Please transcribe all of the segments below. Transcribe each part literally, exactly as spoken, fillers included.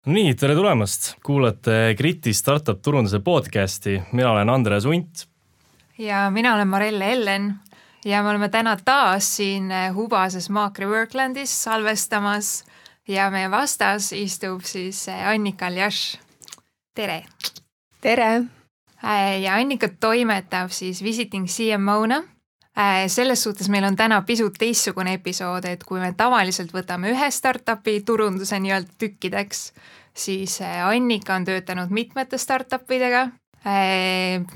Nii, tere tulemast! Kuulate Kriti Startup turunduse podcasti. Mina olen Andres Unt. Ja mina olen Marelle Ellen. Ja me oleme täna taas siin Hubases Maakri Worklandis salvestamas. Ja meie vastas istub siis Annika Aljaš. Tere! Tere! Ja Annika toimetab siis Visiting C M O-na. Selles suhtes meil on täna pisut teistsugune episood, et kui me tavaliselt võtame ühe startupi turunduse nii-öelda tükkideks, siis Annika on töötanud mitmete startupidega,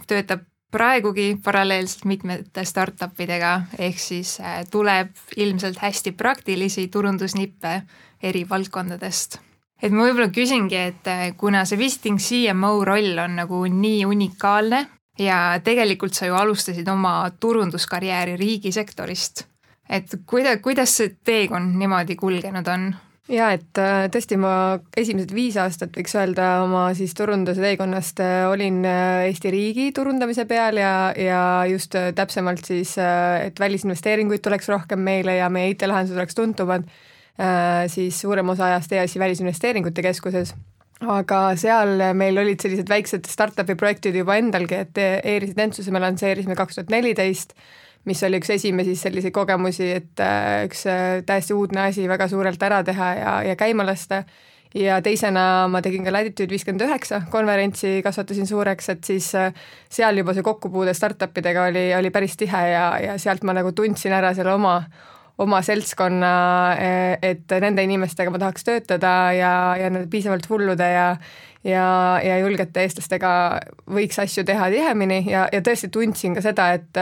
töötab praegugi paralleelselt mitmete startupidega, ehk siis tuleb ilmselt hästi praktilisi turundusnippe eri valdkondadest. Et ma võib-olla küsingi, et kuna see Visiting C M O roll on nagu nii unikaalne, ja tegelikult sa ju alustasid oma turunduskarjääri riigisektorist. Et kuida, kuidas see teekond niimoodi kulgenud on? Ja, et tõesti ma esimesed viis aastat võiks öelda oma siis turunduse teekonnast olin Eesti riigi turundamise peal ja, ja just täpsemalt siis, et välisinvesteeringuid tuleks rohkem meile ja meie I T-lahendused oleks tuntumad, siis suurem osa ajast E A S-i välisinvesteeringute keskuses. Aga seal meil olid sellised väiksed startupi projektid juba endalgi, et e-residentsuse me lansseerisime kaks tuhat neliteist, mis oli üks esimesi sellise kogemusi, et üks täiesti uudne asi väga suurelt ära teha ja, ja käima lasta. Ja teisena ma tegin ka Latitude viiskümmend üheksa konverentsi, kasvatasin suureks, et siis seal juba see kokkupuude startupidega oli, oli päris tihe ja, ja sealt ma nagu tundsin ära selle oma oma seltskonna, et nende inimestega ma tahaks töötada ja, ja nende piisavalt hullude ja, ja, ja julgete eestlastega võiks asju teha tihemini ja, ja tõesti tundsin ka seda, et,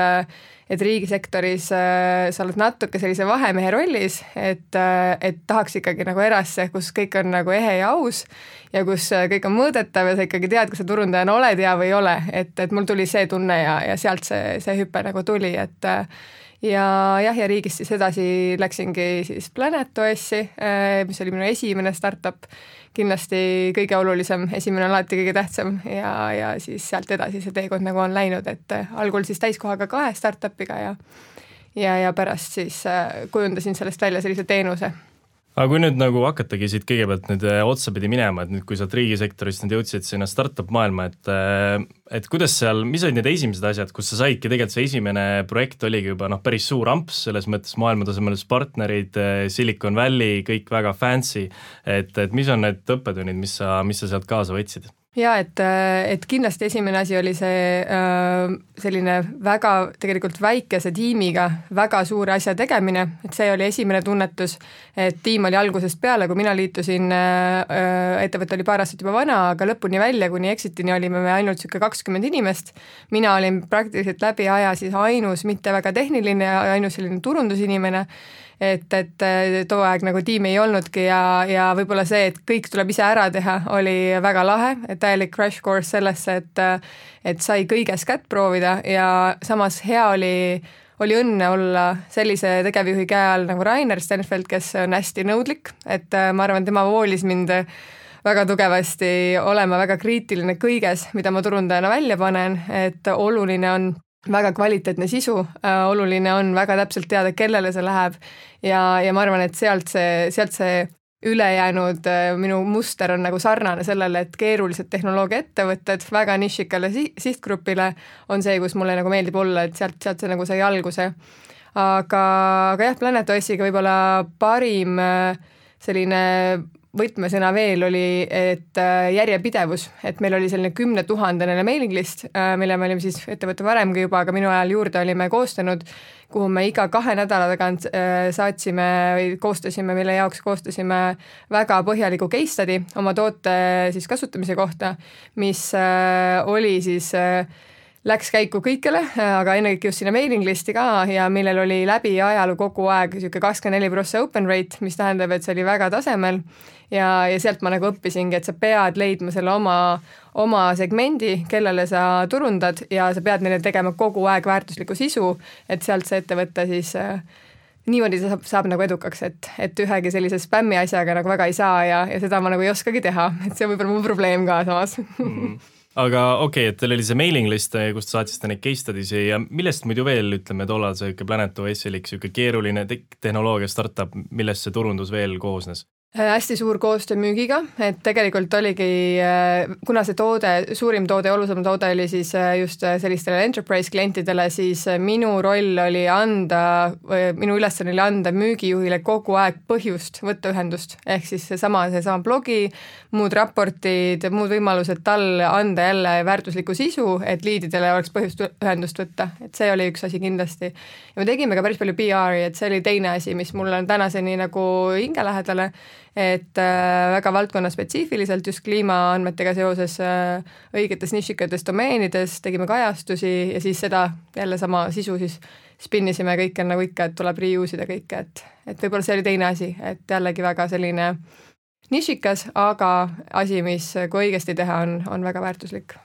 et riigisektoris sa oled natuke sellise vahemehe rollis, et, et tahaks ikkagi nagu erasse, kus kõik on nagu ehe ja aus ja kus kõik on mõõdetav ja sa ikkagi tead, kas sa turundajana oled ja või ei ole, et, et mul tuli see tunne ja, ja sealt see, see hüpe nagu tuli, et ja jah, ja riigist siis edasi läksingi siis PlanetOS-i, mis oli minu esimene startup, kindlasti kõige olulisem, esimene on alati kõige tähtsam ja, ja siis sealt edasi see teekond nagu on läinud, et algul siis täiskohaga kahe startupiga ja, ja, ja pärast siis kujundasin sellest välja sellise teenuse. Aga kui nüüd nagu hakatagi siit kõigepealt nüüd otsapidi minema, et nüüd kui sa riigisektorist nüüd jõudsid sinna startup maailma, et, et kuidas seal, mis olid need esimesed asjad, kus sa saidki tegelikult see esimene projekt oligi juba noh, päris suur amps, selles mõttes maailmatasemelised partnerid, Silicon Valley, kõik väga fancy, et, et mis on need õppetunnid, mis sa, mis sa sealt kaasa võtsid? Ja, et, et kindlasti esimene asi oli see selline väga tegelikult väikese tiimiga väga suure asja tegemine, et see oli esimene tunnetus, et tiim oli algusest peale, kui mina liitusin, ettevõte oli paar aastat juba vana, aga lõpuni välja, kuni exitini olime me ainult siuke kakskümmend inimest. Mina olin praktiliselt läbi aja siis ainus, mitte väga tehniline, ainus selline turundusinimene, et, et too aeg nagu tiimi ei olnudki ja, ja võib-olla see, et kõik tuleb ise ära teha, oli väga lahe, et täielik crash course sellesse, et, et sai kõiges kätt proovida ja samas hea oli, oli õnne olla sellise tegevjuhi käe all nagu Rainer Stenfeld, kes on hästi nõudlik, et ma arvan, tema voolis mind väga tugevasti olema väga kriitiline kõiges, mida ma turundajana välja panen, et oluline on väga kvaliteetne sisu, oluline on väga täpselt teada, kellele see läheb ja, ja ma arvan, et sealt see, sealt see ülejäänud minu muster on nagu sarnane sellele, et keerulised tehnoloogia ettevõtted väga nišikale sihtgrupile on see, kus mulle nagu meeldib olla, et sealt, sealt see nagu sai alguse. Aga, aga jah, PlanetOS-iga võib-olla parim selline võtmesõna veel oli, et järjepidevus, et meil oli selline kümne tuhandene mailing list, mille me olime siis ettevõtte varemgi juba, aga minu ajal juurde olime koostanud, kuhu me iga kahe nädala tagant saatsime või koostasime, mille jaoks koostasime väga põhjaliku case study oma toote siis kasutamise kohta, mis oli siis läks käiku kõikele, aga ennekõike just sinna mailing listi ka ja millel oli läbi ajalu kogu aeg siuke kakskümmend neli protsenti open rate, mis tähendab, et see oli väga tasemel ja, ja sealt ma nagu õppisingi, et sa pead leidma selle oma, oma segmendi, kellele sa turundad ja sa pead neile tegema kogu aeg väärtuslikku sisu, et sealt see ettevõte siis äh, niimoodi saab, saab nagu edukaks, et, et ühegi sellise spämmi asjaga nagu väga ei saa ja, ja seda ma nagu ei oskagi teha, et see on võib-olla mu probleem ka samas mm. Aga okei, okay, et teil oli see mailing list, kust saatsite neid case studies ja millest muidu veel, ütleme, tollal see PlanetOS oli siuke keeruline te- tehnoloogia startup, millest see turundus veel koosnes? hästi suur koostöö müügiga, et tegelikult oligi, kuna see toode, suurim toode, olulisem toode oli siis just sellistele enterprise klientidele, siis minu roll oli anda, minu ülesanne oli anda müügijuhile kogu aeg põhjust võtta ühendust, ehk siis seesama, seesama blogi, muud raportid, muud võimalused tal anda jälle väärtuslikku sisu, et liididele oleks põhjust ühendust võtta, et see oli üks asi kindlasti. Ja me tegime ka päris palju P R-i, et see oli teine asi, mis mul on tänaseni nagu hingelähedale, et äh, väga valdkonna spetsiifiliselt just kliimaandmetega seoses äh, õigetes nišikates domeenides tegime kajastusi ja siis seda jälle sama sisu siis spinnisime kõike nagu ikka, et tuleb reuse ida kõike, et, et võib-olla see oli teine asi, et jällegi väga selline nišikas, aga asi, mis kui õigesti teha, on, on väga väärtuslik.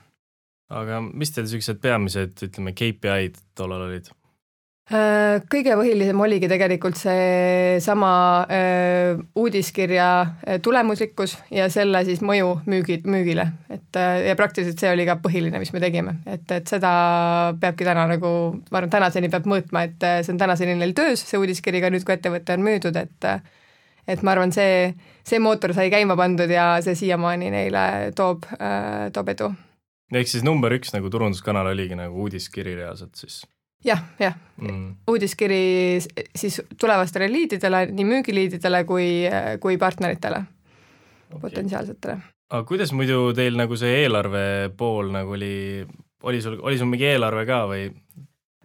Aga mis teil sellised peamised, ütleme, K P I-d tollal olid? Kõige põhilisem oligi tegelikult see sama äh, uudiskirja tulemuslikkus ja selle siis mõju müügi, müügile. Et, ja praktiliselt see oli ka põhiline, mis me tegime. Et, et seda peabki täna nagu, ma arvan, tänaseni peab mõõtma, et see on tänaseni neil töös, see uudiskiriga nüüd, kui ettevõte on müüdud, et, et ma arvan, see, see mootor sai käima pandud ja see siiamaani neile toob, äh, toob edu. Ehk siis number üks nagu turunduskanal oligi nagu uudiskiri reaalselt siis? jah, jah mm. uudiskiri siis tulevastele liididele, nii müügiliididele kui, kui partneritele okay., potentsiaalsetele. Aga kuidas muidu teil nagu see eelarve pool nagu oli, oli sul, oli sul mingi eelarve ka või,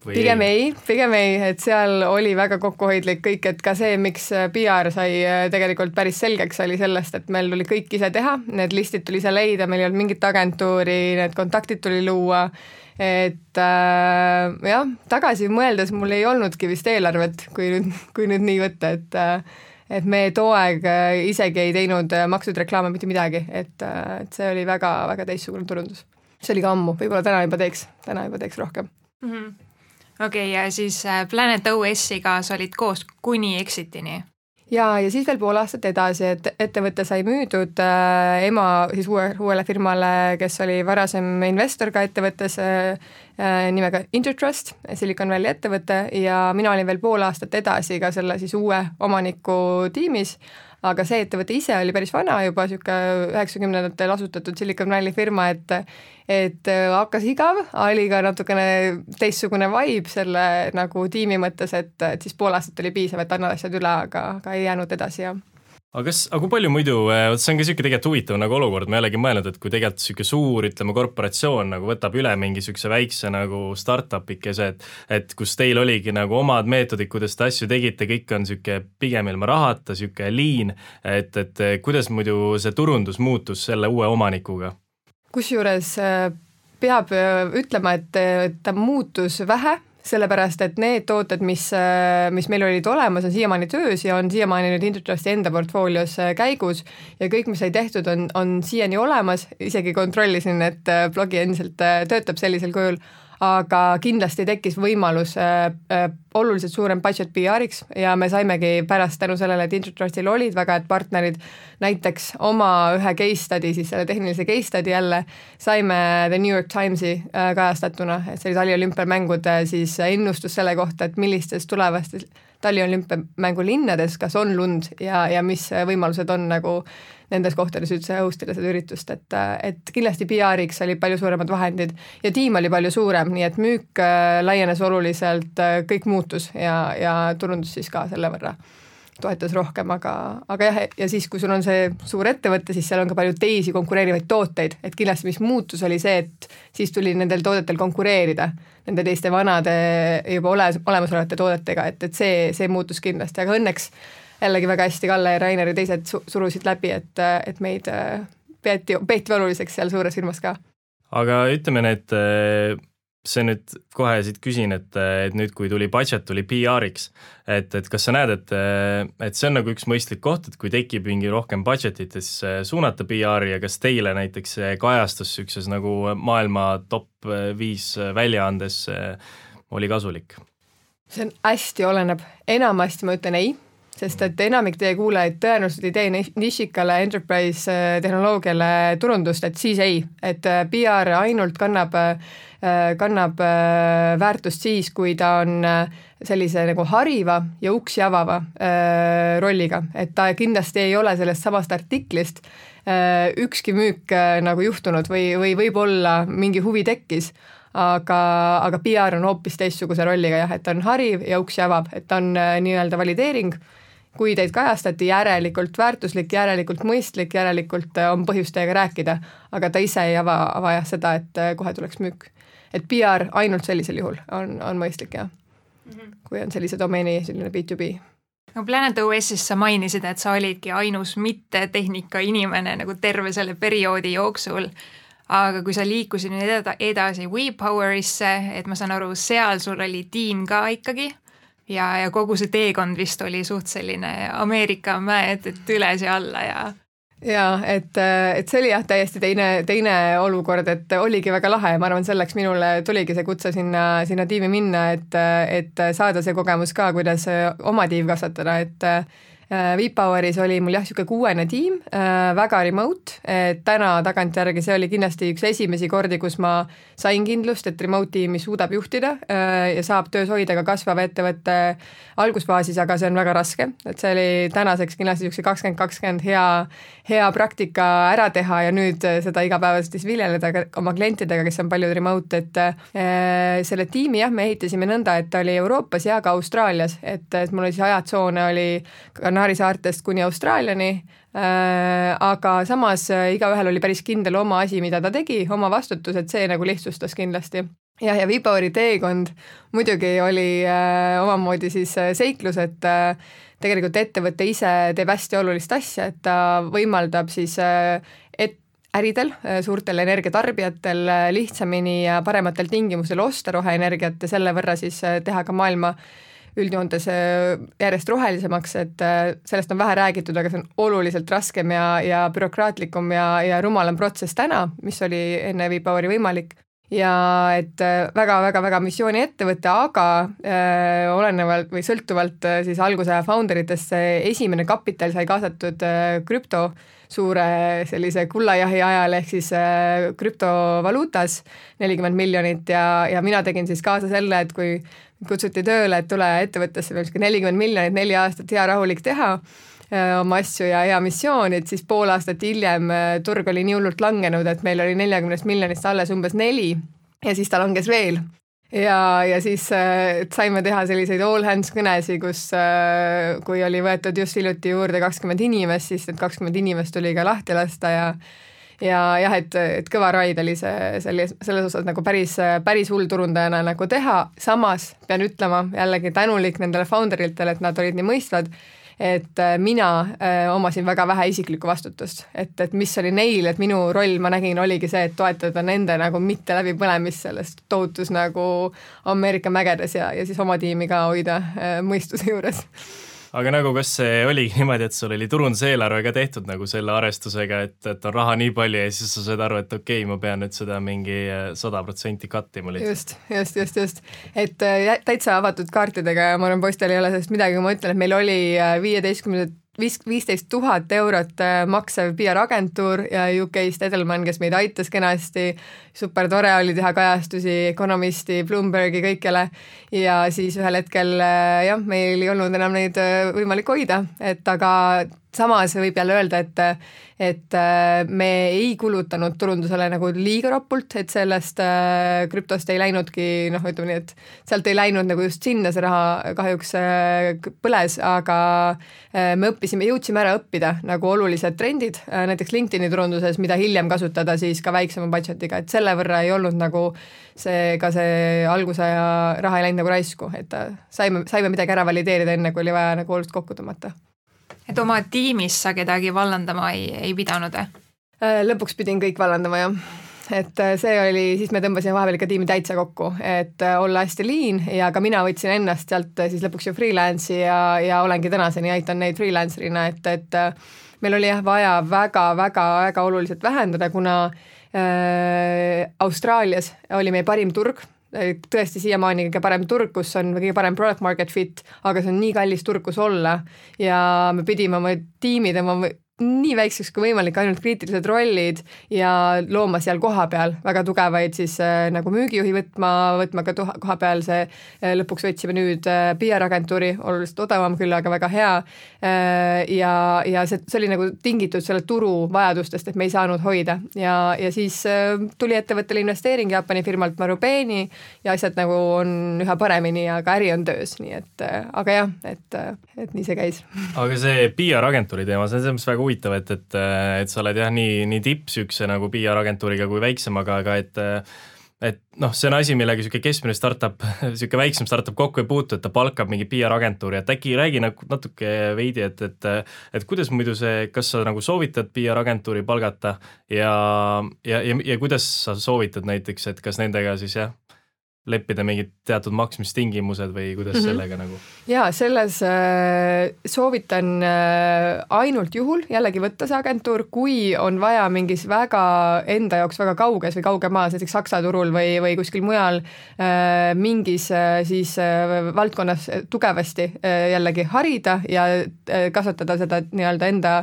või? Pigem ei, pigem ei, et seal oli väga kokkuhoidlik kõik, et ka see, miks P R sai tegelikult päris selgeks, oli sellest, et meil tuli kõik ise teha, need listid tuli ise leida, meil ei olnud mingit agentuuri, need kontaktid tuli luua, et äh, jah, tagasi mõeldes mul ei olnudki vist eelarvet, kui nüüd, kui nüüd nii võtta, et, et me too aeg isegi ei teinud maksud reklaame mitte midagi, et, et see oli väga, väga teistsugune turundus. See oli ka ammu, võib-olla täna juba teeks, täna juba teeks rohkem. Mm-hmm. Okei, okay, ja siis Planet O S-iga sa olid koos kuni Exitini? Ja, ja siis veel pool aastat edasi, et ettevõte sai müüdud äh, ema siis uue, uuele firmale, kes oli varasem investor ka ettevõttes äh, nimega Intertrust, Silicon Valley ettevõte ja mina olin veel pool aastat edasi ka selle siis uue omaniku tiimis, aga see ettevõte ise oli päris vana juba, siuke üheksakümnendatel asutatud Silicon Valley firma, et et hakkas igav, oli ka natukene teistsugune vibe selle nagu tiimi mõttes, et, et siis pool aastat oli piisav, et annad asjad üle, aga, aga ei jäänud edasi ja aga kas, aga kui palju muidu, see on ka siuke tegelikult huvitav nagu olukord, ma ei olegi mõelnud, et kui tegelikult siuke suur, ütleme, korporatsioon nagu võtab üle mingi siukse väikse nagu startupikese, et, et kus teil oligi nagu omad meetodid, kuidas te asju tegite, kõik on siuke pigem ilma rahata, siuke liin, et, et kuidas muidu see turundus muutus selle uue omanikuga? Kusjuures peab ütlema, et ta muutus vähe, sellepärast, et need tooted, mis, mis meil olid olemas, on siiamaani töös ja on siiamaani nüüd Intertrusti enda portfoolios käigus ja kõik, mis sai tehtud, on, on siiani olemas, isegi kontrollisin, et blogi endiselt töötab sellisel kujul, aga kindlasti tekkis võimalus äh, äh, oluliselt suurem budget P R-iks ja me saimegi pärast tänu sellele, et Intertrustil olid väga head partnerid, näiteks oma ühe case study, siis selle tehnilise case study jälle, saime The New York Timesi äh, kajastatuna, et see oli taliolümpiamängude siis ennustus selle kohta, et millistes tulevastes taliolümpiamängu linnades, kas on lund ja, ja mis võimalused on nagu nendes kohtades üldse hostida seda üritust, et, et kindlasti P R-iks oli palju suuremad vahendid ja tiim oli palju suurem, nii et müük laienes oluliselt, kõik muutus ja, ja turundus siis ka selle võrra toetas rohkem, aga, aga jah, ja siis, kui sul on see suur ettevõte, siis seal on ka palju teisi konkureerivaid tooteid, et kindlasti mis muutus oli see, et siis tuli nendel toodetel konkureerida nende teiste vanade juba ole, olemasolevate toodetega, et, et see, see muutus kindlasti, aga õnneks jällegi väga hästi Kalle ja Rainer ja teised surusid läbi, et, et meid peeti, peeti oluliseks seal suures firmas ka. Aga ütleme need, see nüüd kohe siit küsin, et, et nüüd kui tuli budget, tuli P R-iks, et, et kas sa näed, et, et see on nagu üks mõistlik koht, et kui tekib mingi rohkem budgetit, siis suunata P R-i ja kas teile näiteks kajastus sükses nagu maailma top viis väljaandes oli kasulik? See on hästi oleneb, enamasti ma ütlen ei, sest et enamik teie kuulajaid tõenäoliselt ei tee nišikale enterprise tehnoloogiale turundust, et siis ei, et P R ainult kannab, kannab väärtust siis, kui ta on sellise nagu hariva ja uksi avava rolliga, et ta kindlasti ei ole sellest samast artiklist ükski müük nagu juhtunud või, või võib-olla mingi huvi tekkis, aga, aga P R on hoopis teistsuguse rolliga jah, et ta on hariv ja uksi avab, et ta on nii-öelda valideering, kui teid kajastati järelikult väärtuslik, järelikult mõistlik, järelikult on põhjust teiega rääkida, aga ta ise ei ava, ava jah seda, et kohe tuleks müük. Et P R ainult sellisel juhul on, on mõistlik jah, mm-hmm. kui on sellise domeeni selline B to B. No Planet O S-is sa mainisid, et sa olidki ainus mitte tehnika inimene nagu terve selle perioodi jooksul, aga kui sa liikusid nüüd edasi WePowerisse, et ma saan aru, seal sul oli tiim ka ikkagi, ja, ja kogu see teekond vist oli suht selline Ameerika mäed, et üles ja alla ja... Ja, et, et see oli jah täiesti teine, teine olukord, et oligi väga lahe ja ma arvan, selleks minule tuligi see kutse sinna, sinna tiimi minna, et, et saada see kogemus ka, kuidas oma tiim kasvatada, et WePoweris oli mul jah, siuke kuuene tiim, väga remote, et täna tagantjärgi see oli kindlasti üks esimesi kordi, kus ma sain kindlust, et remote tiimi suudab juhtida ja saab töös hoida ka kasvava ettevõtte algusfaasis, aga see on väga raske, et see oli tänaseks kindlasti siukse kakskümmend kakskümmend hea, hea praktika ära teha ja nüüd seda igapäevaselt siis viljeleda oma klientidega, kes on paljud remote, et selle tiimi jah, me ehitasime nõnda, et ta oli Euroopas ja ka Austraalias, et, et mul oli siis ajatsoone oli Kanaari saartest kuni Austraaliani, äh, aga samas äh, igaühel oli päris kindel oma asi, mida ta tegi, oma vastutus, et see nagu lihtsustas kindlasti. Jah, ja WePoweri teekond muidugi oli äh, omamoodi siis seiklus, et äh, tegelikult ettevõte ise teeb hästi olulist asja, et ta võimaldab siis äh, et äridel, suurtel energiatarbijatel lihtsamini ja parematel tingimustel osta roheenergiat ja selle võrra siis teha ka maailma üldjoontes järjest rohelisemaks, et sellest on vähe räägitud, aga see on oluliselt raskem ja, ja bürokraatlikum ja, ja rumalam protsess täna, mis oli enne WePoweri võimalik. Ja et väga-väga-väga missiooni ettevõte, aga äh, olenevalt või sõltuvalt äh, siis alguse founderitest esimene kapital sai kaasatud äh, krüpto suure sellise kullajahi ajal ehk siis äh, krüptovaluutas nelikümmend miljonit ja, ja mina tegin siis kaasa selle, et kui kutsuti tööle, et tule ettevõttesse veel nelikümmend miljonit, neli aastat hea rahulik teha öö, oma asju ja hea missioon, et siis pool aastat hiljem öö, turg oli nii hullult langenud, et meil oli neljakümnest miljonist alles umbes neli ja siis ta langes veel. Ja, ja siis öö, saime teha selliseid all hands kõnesi, kus öö, kui oli võetud just hiljuti juurde kakskümmend inimest, siis need kakskümmend inimest tuli ka lahti lasta ja ja jah, et, et kõva raid oli see selles, selles osas nagu päris, päris hull turundajana nagu teha, samas pean ütlema jällegi tänulik nendele founderitele, et nad olid nii mõistvad, et mina äh, omasin väga vähe isiklikku vastutust, et, et mis oli neil, et minu roll, ma nägin, oligi see, et toetada nende nagu mitte läbipõlemist sellest tohutus nagu Ameerika mägedes ja, ja siis oma tiimi ka hoida äh, mõistuse juures. Aga nagu kas see oligi niimoodi, et sul oli turunduseelarve ka tehtud nagu selle arvestusega, et, et on raha nii palju ja siis sa said aru, et okei okay,, ma pean nüüd seda mingi sada protsenti kattima lihtsalt. Just, just, just, just. Et täitsa avatud kaartidega ja ma arvan, poistel ei ole sellest midagi, kui ma ütlen, et meil oli viieteistkümne viisteist tuhat eurot maksev P R-agentuur ja U K-st Edelman, kes meid aitas kenasti, super tore oli teha kajastusi Economisti, Bloombergi, kõikjale ja siis ühel hetkel jah, meil ei olnud enam neid võimalik hoida, et aga samas võib jälle öelda, et, et me ei kulutanud turundusele nagu liiga ropult, et sellest krüptost ei läinudki, noh, ütleme nii, et sealt ei läinud nagu just sinna see raha kahjuks põles, aga me õppisime, jõudsime ära õppida nagu olulised trendid, näiteks LinkedIni turunduses, mida hiljem kasutada siis ka väiksema budgetiga, et selle võrra ei olnud nagu see, ka see alguse ja raha ei läinud nagu raisku, et saime, saime midagi ära valideerida enne, kui oli vaja nagu oluliselt kokku tõmmata. Et oma tiimis sa kedagi vallandama ei, ei pidanud? Lõpuks pidin kõik vallandama, jah. Et see oli, siis me tõmbasime vahepeal ikka tiimi täitsa kokku, et olla hästi lean ja ka mina võtsin ennast sealt siis lõpuks ju freelance'i ja, ja olengi tänaseni, aitan neid freelancerina, et, et meil oli jah vaja väga-väga-väga oluliselt vähendada, kuna äh, Austraalias oli meie parim turg tõesti siiamaani kõige parem turg, kus on kõige parem product market fit, aga see on nii kallis turg, kus olla ja me pidime oma tiimid oma nii väikseks kui võimalik, ainult kriitilised rollid ja looma seal koha peal väga tugevaid siis äh, nagu müügijuhi võtma, võtma ka tuha, koha peal see äh, lõpuks võtsime nüüd äh, P R-agentuuri, oluliselt odavam küll, aga väga hea äh, ja, ja see, see oli nagu tingitud selle turu vajadustest, et me ei saanud hoida ja, ja siis äh, tuli ettevõttele investeering Jaapani firmalt Marubeni ja asjad nagu on üha paremini, aga äri on töös, nii et äh, aga jah, et, et nii see käis. Aga see P R-agentuuri teema, see on selles väga huvitav, et, et, et sa oled jah nii, nii tippsükse nagu P R-agentuuriga kui väiksemaga, aga et et noh, see on asi, millega niisugune keskmine startup, niisugune väiksem startup kokku ei puutu, et ta palkab mingi P R-agentuuri, et äkki räägi nagu natuke veidi, et, et et kuidas muidu see, kas sa nagu soovitad P R-agentuuri palgata ja, ja, ja, ja kuidas sa soovitad näiteks, et kas nendega siis jah, leppida mingid teatud maksmistingimused või kuidas mm-hmm. sellega nagu? Jaa, selles äh, soovitan äh, ainult juhul jällegi võtta see agentuur, kui on vaja mingis väga enda jaoks väga kauges või kauge maas, näiteks Saksa turul või, või kuskil mujal äh, mingis äh, siis äh, valdkonnas tugevasti äh, jällegi harida ja äh, kasvatada seda nii-öelda enda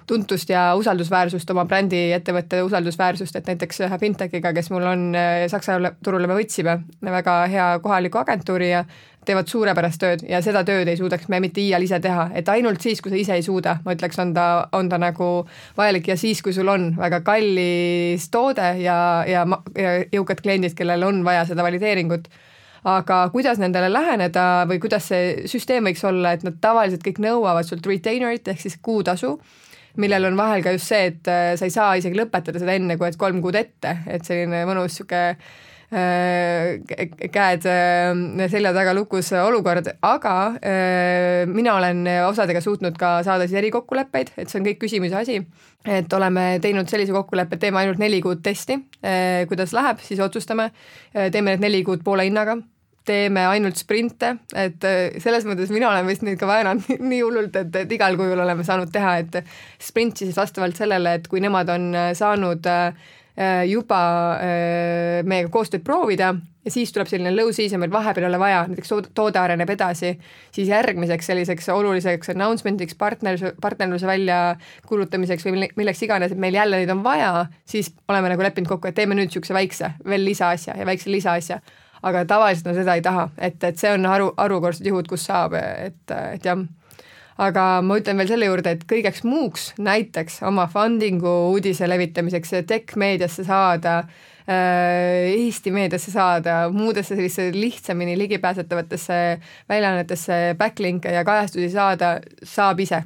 tuntust ja usaldusväärsust, oma brändi ettevõtte usaldusväärsust, et näiteks ühe Fintechiga, kes mul on Saksa turule me võtsime väga hea kohaliku agentuuri ja teevad suurepärast tööd ja seda tööd ei suudaks me mitte iial ise teha, et ainult siis, kui sa ise ei suuda, ma ütleks, on ta, on ta nagu vajalik ja siis, kui sul on väga kallis toode ja, ja, ja jõukad kliendid, kellel on vaja seda valideeringut, aga kuidas nendele läheneda või kuidas see süsteem võiks olla, et nad tavaliselt kõik nõuavad sult retainerit ehk siis kuutasu, millel on vahel ka just see, et sa ei saa isegi lõpetada seda enne, kui et kolm kuud ette, et selline mõnus sihuke äh, käed äh, selja taga lukus olukord, aga äh, mina olen osadega suutnud ka saada siis erikokkuleppeid, et see on kõik küsimuse asi, et oleme teinud sellise kokkuleppe, et teeme ainult neli kuud testi, äh, kuidas läheb, siis otsustame, teeme need neli kuud poole hinnaga, teeme ainult sprinte, et selles mõttes mina olen vist neid ka väänanud nii hullult, et, et igal kujul oleme saanud teha, et sprint siis vastavalt sellele, et kui nemad on saanud juba meiega koostööd proovida ja siis tuleb selline low season, meil vahepeal ei ole vaja, näiteks toode areneb edasi, siis järgmiseks selliseks oluliseks announcement'iks, partnerluse, partnerluse välja kuulutamiseks või milleks iganes, et meil jälle neid on vaja, siis oleme nagu leppinud kokku, et teeme nüüd niisuguse väikse veel lisaasja ja väikse lisaasja, aga tavaliselt no seda ei taha, et, et see on haru, harukordsed juhud, kus saab, et, et jah. Aga ma ütlen veel selle juurde, et kõigeks muuks näiteks oma fundingu uudise levitamiseks, tech-meediasse saada, Eesti meediasse saada, muudesse sellise lihtsamini ligipääsetavatesse väljaannetesse backlinke ja kajastusi saada, saab ise.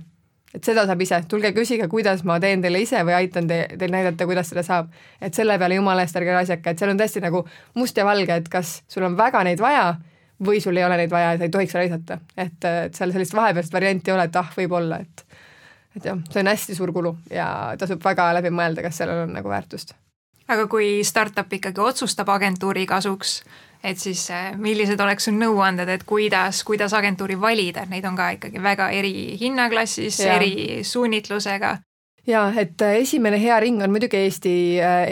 Et seda saab ise, tulge küsige, kuidas ma teen teile ise või aitan te, teil näidata, kuidas seda saab. Et selle peale jumala eest ärge asjaka, et seal on tõesti nagu must ja valge, et kas sul on väga neid vaja või sul ei ole neid vaja ja sa ei tohiks raisata. Et, et seal sellist vahepealst varianti ei ole, et ah, võib olla, et, et jah, see on hästi suur kulu ja tasub väga läbi mõelda, kas sellel on nagu väärtust. Aga kui startup ikkagi otsustab agentuuri kasuks, et siis millised oleks sul nõuanded, et kuidas, kuidas agentuuri valida, neid on ka ikkagi väga eri hinnaklassis, ja. Eri suunitlusega. Jaa, et esimene hea ring on muidugi Eesti,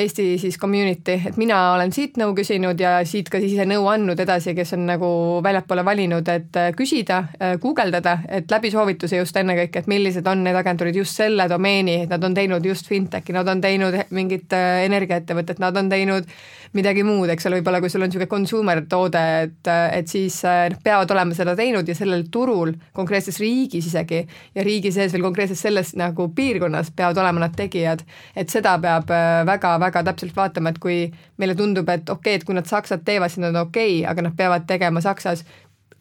Eesti siis community, et mina olen siit nõu küsinud ja siit ka siis ise nõu andnud edasi, kes on nagu väljapoole valinud, et küsida, guugeldada, et läbi soovituse just ennekõike, et millised on need agentuurid just selle domeeni, et nad on teinud just fintechi, nad on teinud mingit energiaettevõtet, nad on teinud midagi muud, eks ole, võib-olla kui sul on niisugune consumer toode, et, et siis peavad olema seda teinud ja sellel turul, konkreetses riigis isegi ja riigi sees veel konkreetses selles nagu piirkonnas peavad olema nad tegijad, et seda peab väga-väga täpselt vaatama, et kui meile tundub, et okei, okay, et kui nad Saksat teevad, siis nad on okei, okay, aga nad peavad tegema Saksas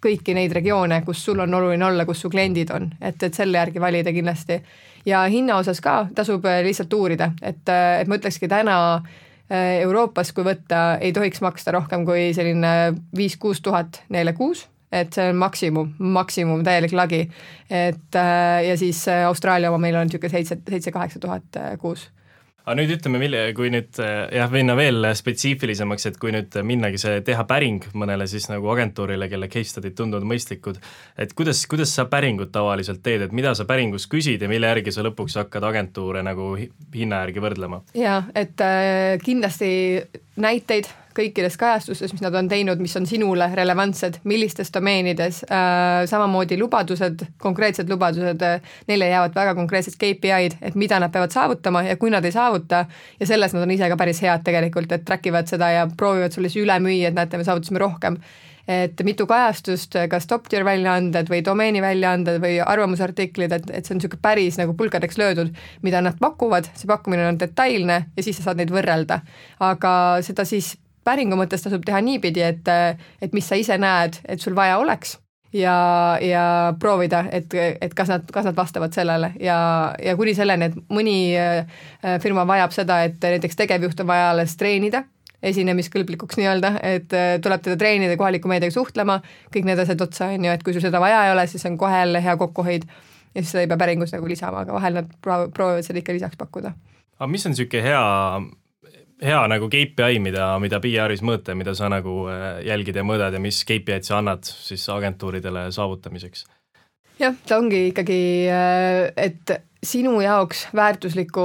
kõiki neid regioone, kus sul on oluline olla, kus su kliendid on, et, et selle järgi valida kindlasti. Ja hinna osas ka tasub lihtsalt uurida, et, et ma ütlekski täna Euroopas, kui võtta, ei tohiks maksta rohkem kui selline viis-kuus tuhat neile kuus, et see on maksimum, maksimum täielik lagi. Et, ja siis Austraalia oma meil on niisugune seitse-kaheksa tuhat kuus. Aga nüüd ütleme, kui nüüd jah, minna veel spetsiifilisemaks, et kui nüüd minnagi see teha päring mõnele siis nagu agentuurile, kelle case study'd tunduvad mõistlikud, et kuidas, kuidas sa päringut tavaliselt teed, et mida sa päringus küsid ja mille järgi sa lõpuks hakkad agentuure nagu hinna järgi võrdlema? Jaa, et kindlasti näiteid kõikides kajastustes, mis nad on teinud, mis on sinule relevantsed, millistes domeenides, äh, samamoodi lubadused, konkreetsed lubadused, neile jäävad väga konkreetsed K P I-d, et mida nad peavad saavutama ja kui nad ei saavuta, ja selles nad on ise ka päris head tegelikult, et track ivad seda ja proovivad sulle siis üle müüa, et näete, me saavutasime rohkem. Et mitu kajastust, kas top-tier väljaanded või domeeni väljaanded või arvamusartiklid, et, et see on niisugune päris nagu pulkadeks löödud, mida nad pakuvad, see pakkumine on detailne ja siis sa saad neid võrrelda. Aga seda siis päringu mõttes tasub teha niipidi, et, et mis sa ise näed, et sul vaja oleks ja, ja proovida, et, et kas nad, kas nad vastavad sellele ja, ja kuni selleni, et mõni firma vajab seda, et näiteks tegevjuht on vaja alles treenida, esinemiskõlblikuks nii-öelda, et tuleb teda treenida kohaliku meediaga suhtlema, kõik need asjad otsa on ju, et kui sul seda vaja ei ole, siis on kohe jälle hea kokkuhoid ja siis seda ei pea päringus nagu lisama, aga vahel nad proovivad seda ikka lisaks pakkuda. Aga mis on niisugune hea, hea nagu K P I, mida, mida P R-is mõõta, mida sa nagu jälgid ja mõõdad ja mis K P I-d sa annad siis agentuuridele saavutamiseks? Jah, ta ongi ikkagi, et sinu jaoks väärtusliku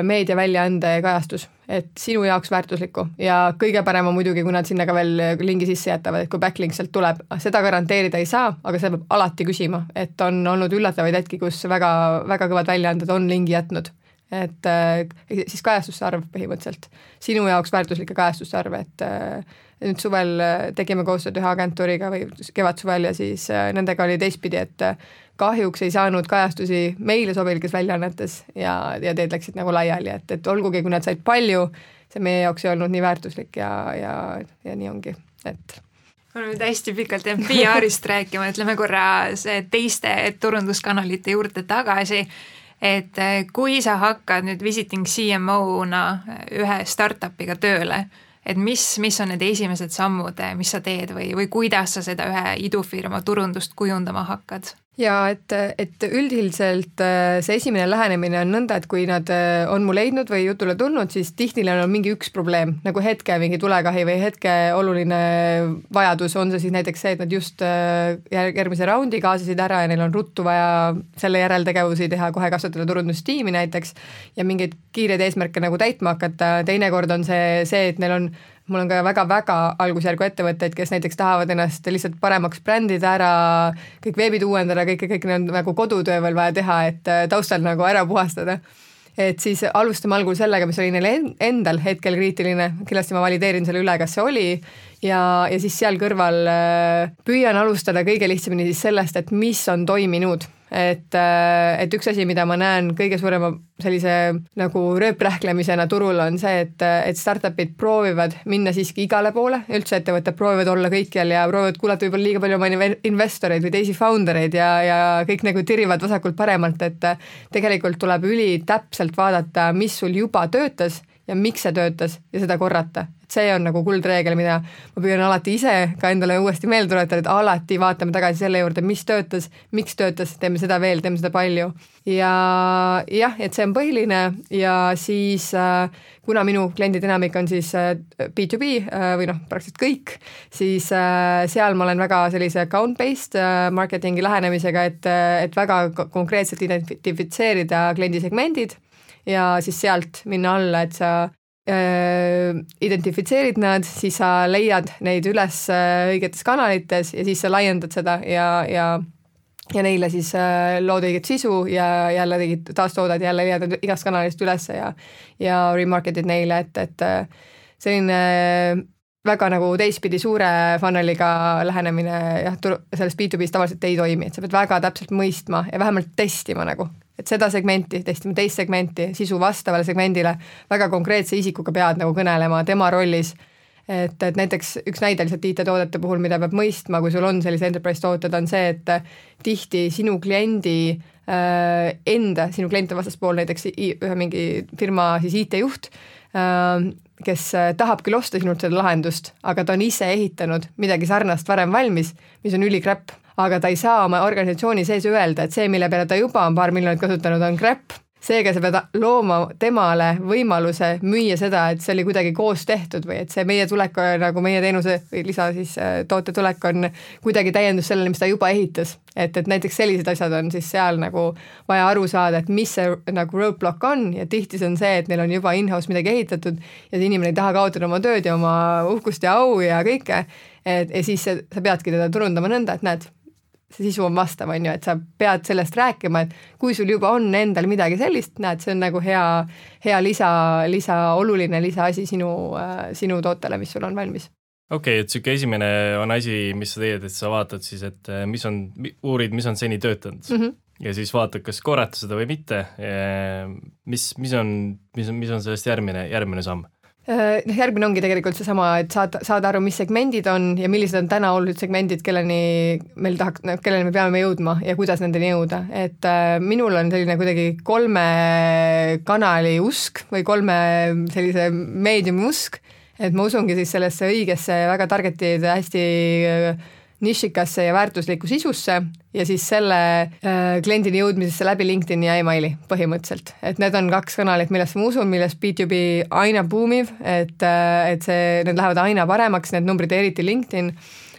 meediaväljaande kajastus, et sinu jaoks väärtuslikku ja kõige parem on muidugi, kui nad sinna ka veel lingi sisse jätavad, et kui backlink sealt tuleb, seda garanteerida ei saa, aga seda peab alati küsima, et on olnud üllatavaid hetki, kus väga, väga kõvad väljaanded on lingi jätnud, et siis kajastuste arv põhimõtteliselt, sinu jaoks väärtuslike kajastuste arv, et nüüd suvel tegime koostööd ühe agentuuriga või kevad-suvel ja siis nendega oli teistpidi, et kahjuks ei saanud kajastusi meile sobilikes väljaannetes ja, ja teed läksid nagu laiali, et, et olgugi, kui nad said palju, see meie jaoks ei olnud nii väärtuslik ja, ja, ja nii ongi, et me oleme hästi pikalt jäänud P R-ist rääkima, ütleme korra see teiste turunduskanalite juurde tagasi, et kui sa hakkad nüüd visiting C M O-na ühe startupiga tööle, et mis, mis on need esimesed sammud, mis sa teed või, või kuidas sa seda ühe idufirma turundust kujundama hakkad? Ja et, et üldiselt see esimene lähenemine on nõnda, et kui nad on mu leidnud või jutule tulnud, siis tihti neil on mingi üks probleem, nagu hetke mingi tulekahi või hetke oluline vajadus, on see siis näiteks see, et nad just järgmise raundi kaasasid ära ja neil on ruttu vaja selle järeltegevusi teha, kohe kasvatada turundustiimi näiteks ja mingeid kiireid eesmärke nagu täitma hakata, teinekord on see see, et neil on mul on ka väga-väga algusjärgu ettevõtteid, kes näiteks tahavad ennast lihtsalt paremaks brändida ära, kõik veebid uuendada, kõik, kõik need nagu kodutöö veel vaja teha, et taustal nagu ära puhastada. Et siis alustame algul sellega, mis oli neil endal hetkel kriitiline, kindlasti ma valideerin selle üle, kas see oli ja, ja siis seal kõrval püüan alustada kõige lihtsamini siis sellest, et mis on toiminud. Et, et üks asi, mida ma näen kõige suurema sellise nagu rööprähklemisena turul on see, et, et startupid proovivad minna siiski igale poole, üldse ettevõtted proovivad olla kõikjal ja proovivad kuulata võib-olla liiga palju oma investoreid või teisi foundereid ja, ja kõik nagu tirivad vasakult paremalt, et tegelikult tuleb üli täpselt vaadata, mis sul juba töötas ja miks see töötas ja seda korrata. See on nagu kuldreegel, mida ma püüan alati ise ka endale uuesti meelde tuletada, et alati vaatame tagasi selle juurde, mis töötas, miks töötas, teeme seda veel, teeme seda palju. Ja jah, et see on põhiline ja siis kuna minu kliendid enamik on siis B to B või noh, praktiliselt kõik, siis seal ma olen väga sellise account-based marketingi lähenemisega, et, et väga konkreetselt identifitseerida kliendisegmendid ja siis sealt minna alla, et sa identifitseerid nad, siis sa leiad neid üles õigetes kanalites ja siis sa laiendad seda ja, ja, ja neile siis lood õiget sisu ja jälle tegid taastoodad, jälle leiad igast kanalist üles ja, ja remarketid neile, et, et selline väga nagu teistpidi suure funneliga lähenemine jah, selles B to B's tavaliselt ei toimi, et sa pead väga täpselt mõistma ja vähemalt testima nagu, et seda segmenti, testima teist segmenti, sisu vastavale segmendile, väga konkreetse isikuga pead nagu kõnelema tema rollis, et, et näiteks üks näide lihtsalt I T-toodete puhul, mida peab mõistma, kui sul on sellise enterprise tooted, on see, et tihti sinu kliendi äh, enda, sinu kliente vastaspool näiteks ühe mingi firma siis I T-juht, äh, kes tahab küll osta sinult seda lahendust, aga ta on ise ehitanud midagi sarnast varem valmis, mis on ülikräpp, aga ta ei saa oma organisatsiooni sees öelda, et see, mille peale ta juba on paar miljonit kasutanud, on crap seega sa pead looma temale võimaluse müüa seda, et see oli kuidagi koos tehtud või et see meie tulek, nagu meie teenuse või lisa siis toote tulek on kuidagi täiendus sellele, mis ta juba ehitas. Et, et näiteks sellised asjad on siis seal nagu vaja aru saada, et mis see nagu roadblock on ja tihti see on see, et neil on juba in-house midagi ehitatud ja see inimene ei taha kaotada oma tööd ja oma uhkust ja au ja kõike. Et, ja siis see, sa peadki teda turundama nõnda, et näed, see sisu on vastav, on ju, et sa pead sellest rääkima, et kui sul juba on endal midagi sellist, näed, see on nagu hea, hea lisa, lisa, oluline lisaasi sinu, sinu tootele, mis sul on valmis. Okei, okay, et siuke esimene on asi, mis sa teed, et sa vaatad siis, et mis on, uurid, mis on seni töötanud mm -hmm. ja siis vaatad, kas korrata seda või mitte. Mis, mis on, mis on, mis on sellest järgmine, järgmine samm? Järgmine ongi tegelikult seesama, et saada, saada aru, mis segmendid on ja millised on täna olulised segmendid, kelleni meil tahaks, kelleni me peame jõudma ja kuidas nendeni jõuda. Et äh, minul on selline kuidagi kolme kanali usk või kolme sellise meediumi usk, et ma usungi siis sellesse õigesse väga targetid hästi nišikasse ja väärtuslikku sisusse ja siis selle äh, kliendini jõudmisesse läbi LinkedIni ja emaili põhimõtteliselt. Et need on kaks kanalit, millest ma usun, millest B two B aina buumiv, et, äh, et see, need lähevad aina paremaks, need numbrid eriti LinkedIn,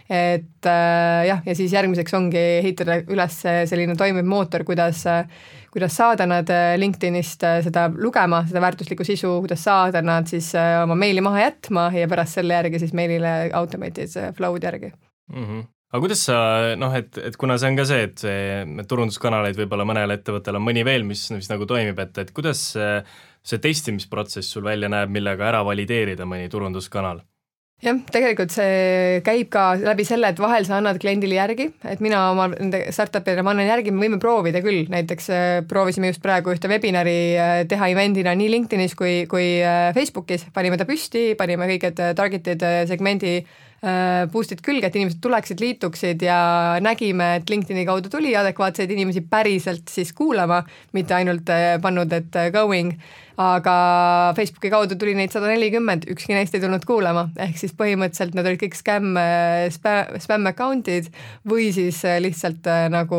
et äh, jah, ja siis järgmiseks ongi ehitada üles selline toimiv mootor, kuidas äh, kuidas saada nad LinkedInist seda lugema, seda väärtuslikku sisu, kuidas saada nad siis äh, oma meili maha jätma ja pärast selle järgi siis meilile automated flow'd järgi. Mm -hmm. Aga kuidas sa, noh, et, et kuna see on ka see, et see turunduskanaleid võib-olla mõnele ettevõttele on mõni veel, mis, mis nagu toimib, et, et kuidas see, see testimisprotsess sul välja näeb, millega ära valideerida mõni turunduskanal? Jah, tegelikult see käib ka läbi selle, et vahel sa annad kliendile järgi, et mina oma startupile ma annan järgi, me võime proovida küll, näiteks proovisime just praegu ühte webinari teha event'ina nii LinkedInis kui, kui Facebookis, panime ta püsti, panime kõiged targeted segmendi boost'id külge, et inimesed tuleksid, liituksid ja nägime, et LinkedIni kaudu tuli adekvaatseid inimesi päriselt siis kuulama, mitte ainult pannud, et going, aga Facebooki kaudu tuli neid sada nelikümmend, ükski neist ei tulnud kuulama, ehk siis põhimõtteliselt need olid kõik scam, spam account'id või siis lihtsalt nagu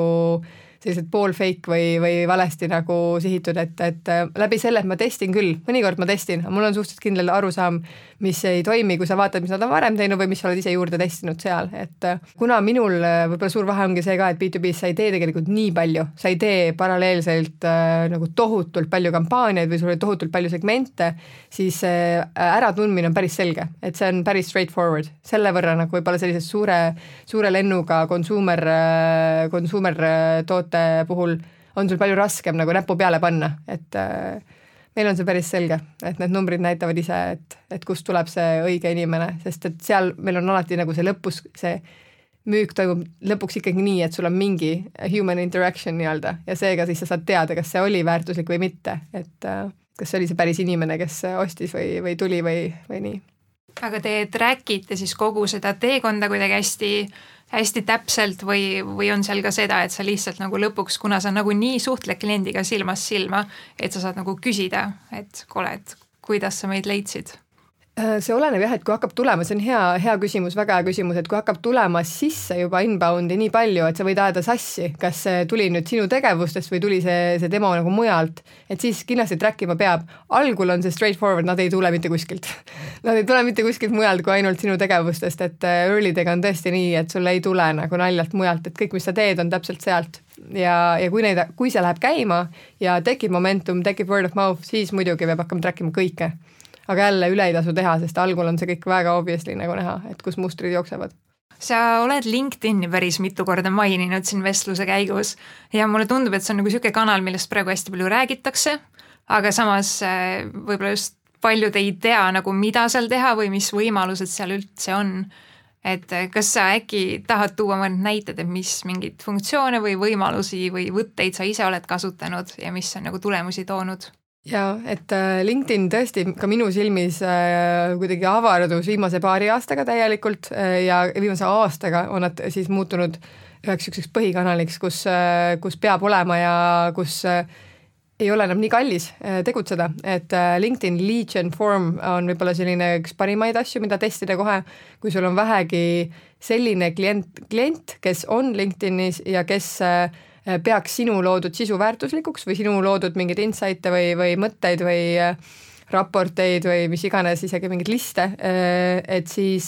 sellised pool fake või, või valesti nagu sihitud, et, et läbi selle, et ma testin küll, mõnikord ma testin, aga mul on suhteliselt kindel arusaam, mis ei toimi, kui sa vaatad, mis nad on varem teinud või mis sa oled ise juurde testinud seal, et kuna minul võib-olla suur vahe ongi see ka, et B two B sa ei tee tegelikult nii palju, sa ei tee paralleelselt äh, nagu tohutult palju kampaaniaid või sul oli tohutult palju segmente, siis äh, äratundmine on päris selge, et see on päris straightforward, selle võrra nagu võib-olla sellise suure, suure lennuga consumer, consumer toote puhul on sul palju raskem nagu näpu peale panna, et äh, meil on see päris selge, et need numbrid näitavad ise, et, et kust tuleb see õige inimene, sest et seal meil on alati nagu see lõpus, see müük toimub lõpuks ikkagi nii, et sul on mingi human interaction nii-öelda ja seega siis sa saad teada, kas see oli väärtuslik või mitte, et äh, kas see oli see päris inimene, kes ostis või, või tuli või, või nii. Aga te trackite siis kogu seda teekonda kuidagi hästi hästi täpselt või, või on seal ka seda, et sa lihtsalt nagu lõpuks, kuna sa nagu nii suhtled kliendiga silmast silma, et sa saad nagu küsida, et kuule, et kuidas sa meid leidsid? See oleneb jah, et kui hakkab tulema, see on hea, hea küsimus, väga hea küsimus, et kui hakkab tulema sisse juba inboundi nii palju, et sa võid ajada sassi, kas see tuli nüüd sinu tegevustest või tuli see, see demo nagu mujalt, et siis kindlasti track ima peab. Algul on see straightforward, nad ei tule mitte kuskilt. Nad ei tule mitte kuskilt mujalt kui ainult sinu tegevustest, et early'dega on tõesti nii, et sul ei tule nagu naljalt mujalt, et kõik, mis sa teed, on täpselt sealt. Ja, ja kui, neid, kui see läheb käima ja tekib momentum, tekib word of mouth, siis muidugi peab hakkama track ima kõike. Aga jälle üle ei tasu teha, sest algul on see kõik väga obviously nagu näha, et kus mustrid jooksevad. Sa oled LinkedIni päris mitu korda maininud siin vestluse käigus ja mulle tundub, et see on nagu selline kanal, millest praegu hästi palju räägitakse, aga samas võib-olla just paljud ei tea nagu mida seal teha või mis võimalused seal üldse on. Et kas sa äkki tahad tuua mõned näited, et mis mingid funktsioone või võimalusi või võtteid sa ise oled kasutanud ja mis on nagu tulemusi toonud? Jaa, et LinkedIn tõesti ka minu silmis äh, kuidagi avardus viimase paari aastaga täielikult äh, ja viimase aastaga on nad siis muutunud üheks ükseks põhikanaliks, kus, äh, kus peab olema ja kus äh, ei ole enam nii kallis äh, tegutseda, et äh, LinkedIn Lead Gen Form on võib-olla selline üks parimaid asju, mida testida kohe, kui sul on vähegi selline klient, klient, kes on LinkedInis ja kes äh, peaks sinu loodud sisu väärtuslikuks või sinu loodud mingeid insight'e või, või mõtteid või raporteid või mis iganes, isegi mingeid liste, et siis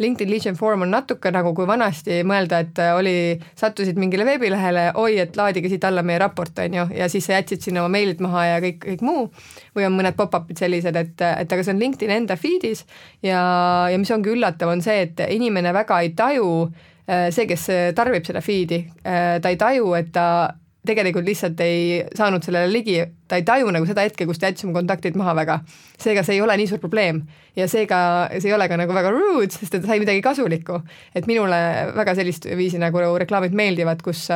LinkedIn Lead Gen Forum on natuke nagu kui vanasti mõelda, et oli, sattusid mingile veebilehele, oi, et laadige siit alla meie raport, on ju, ja siis sa jätsid sinna oma meilid maha ja kõik, kõik muu, või on mõned pop-up'id sellised, et, et aga see on LinkedIn enda feed'is ja, ja mis ongi üllatav, on see, et inimene väga ei taju, see, kes tarbib seda feed'i, ta ei taju, et ta tegelikult lihtsalt ei saanud sellele ligi, ta ei taju nagu seda hetke, kus ta jätsime kontaktid maha väga. Seega see ei ole nii suur probleem ja seega see ei ole ka nagu väga rude, sest ta sai midagi kasulikku. Et minule väga sellist viisi nagu reklaamid meeldivad, kus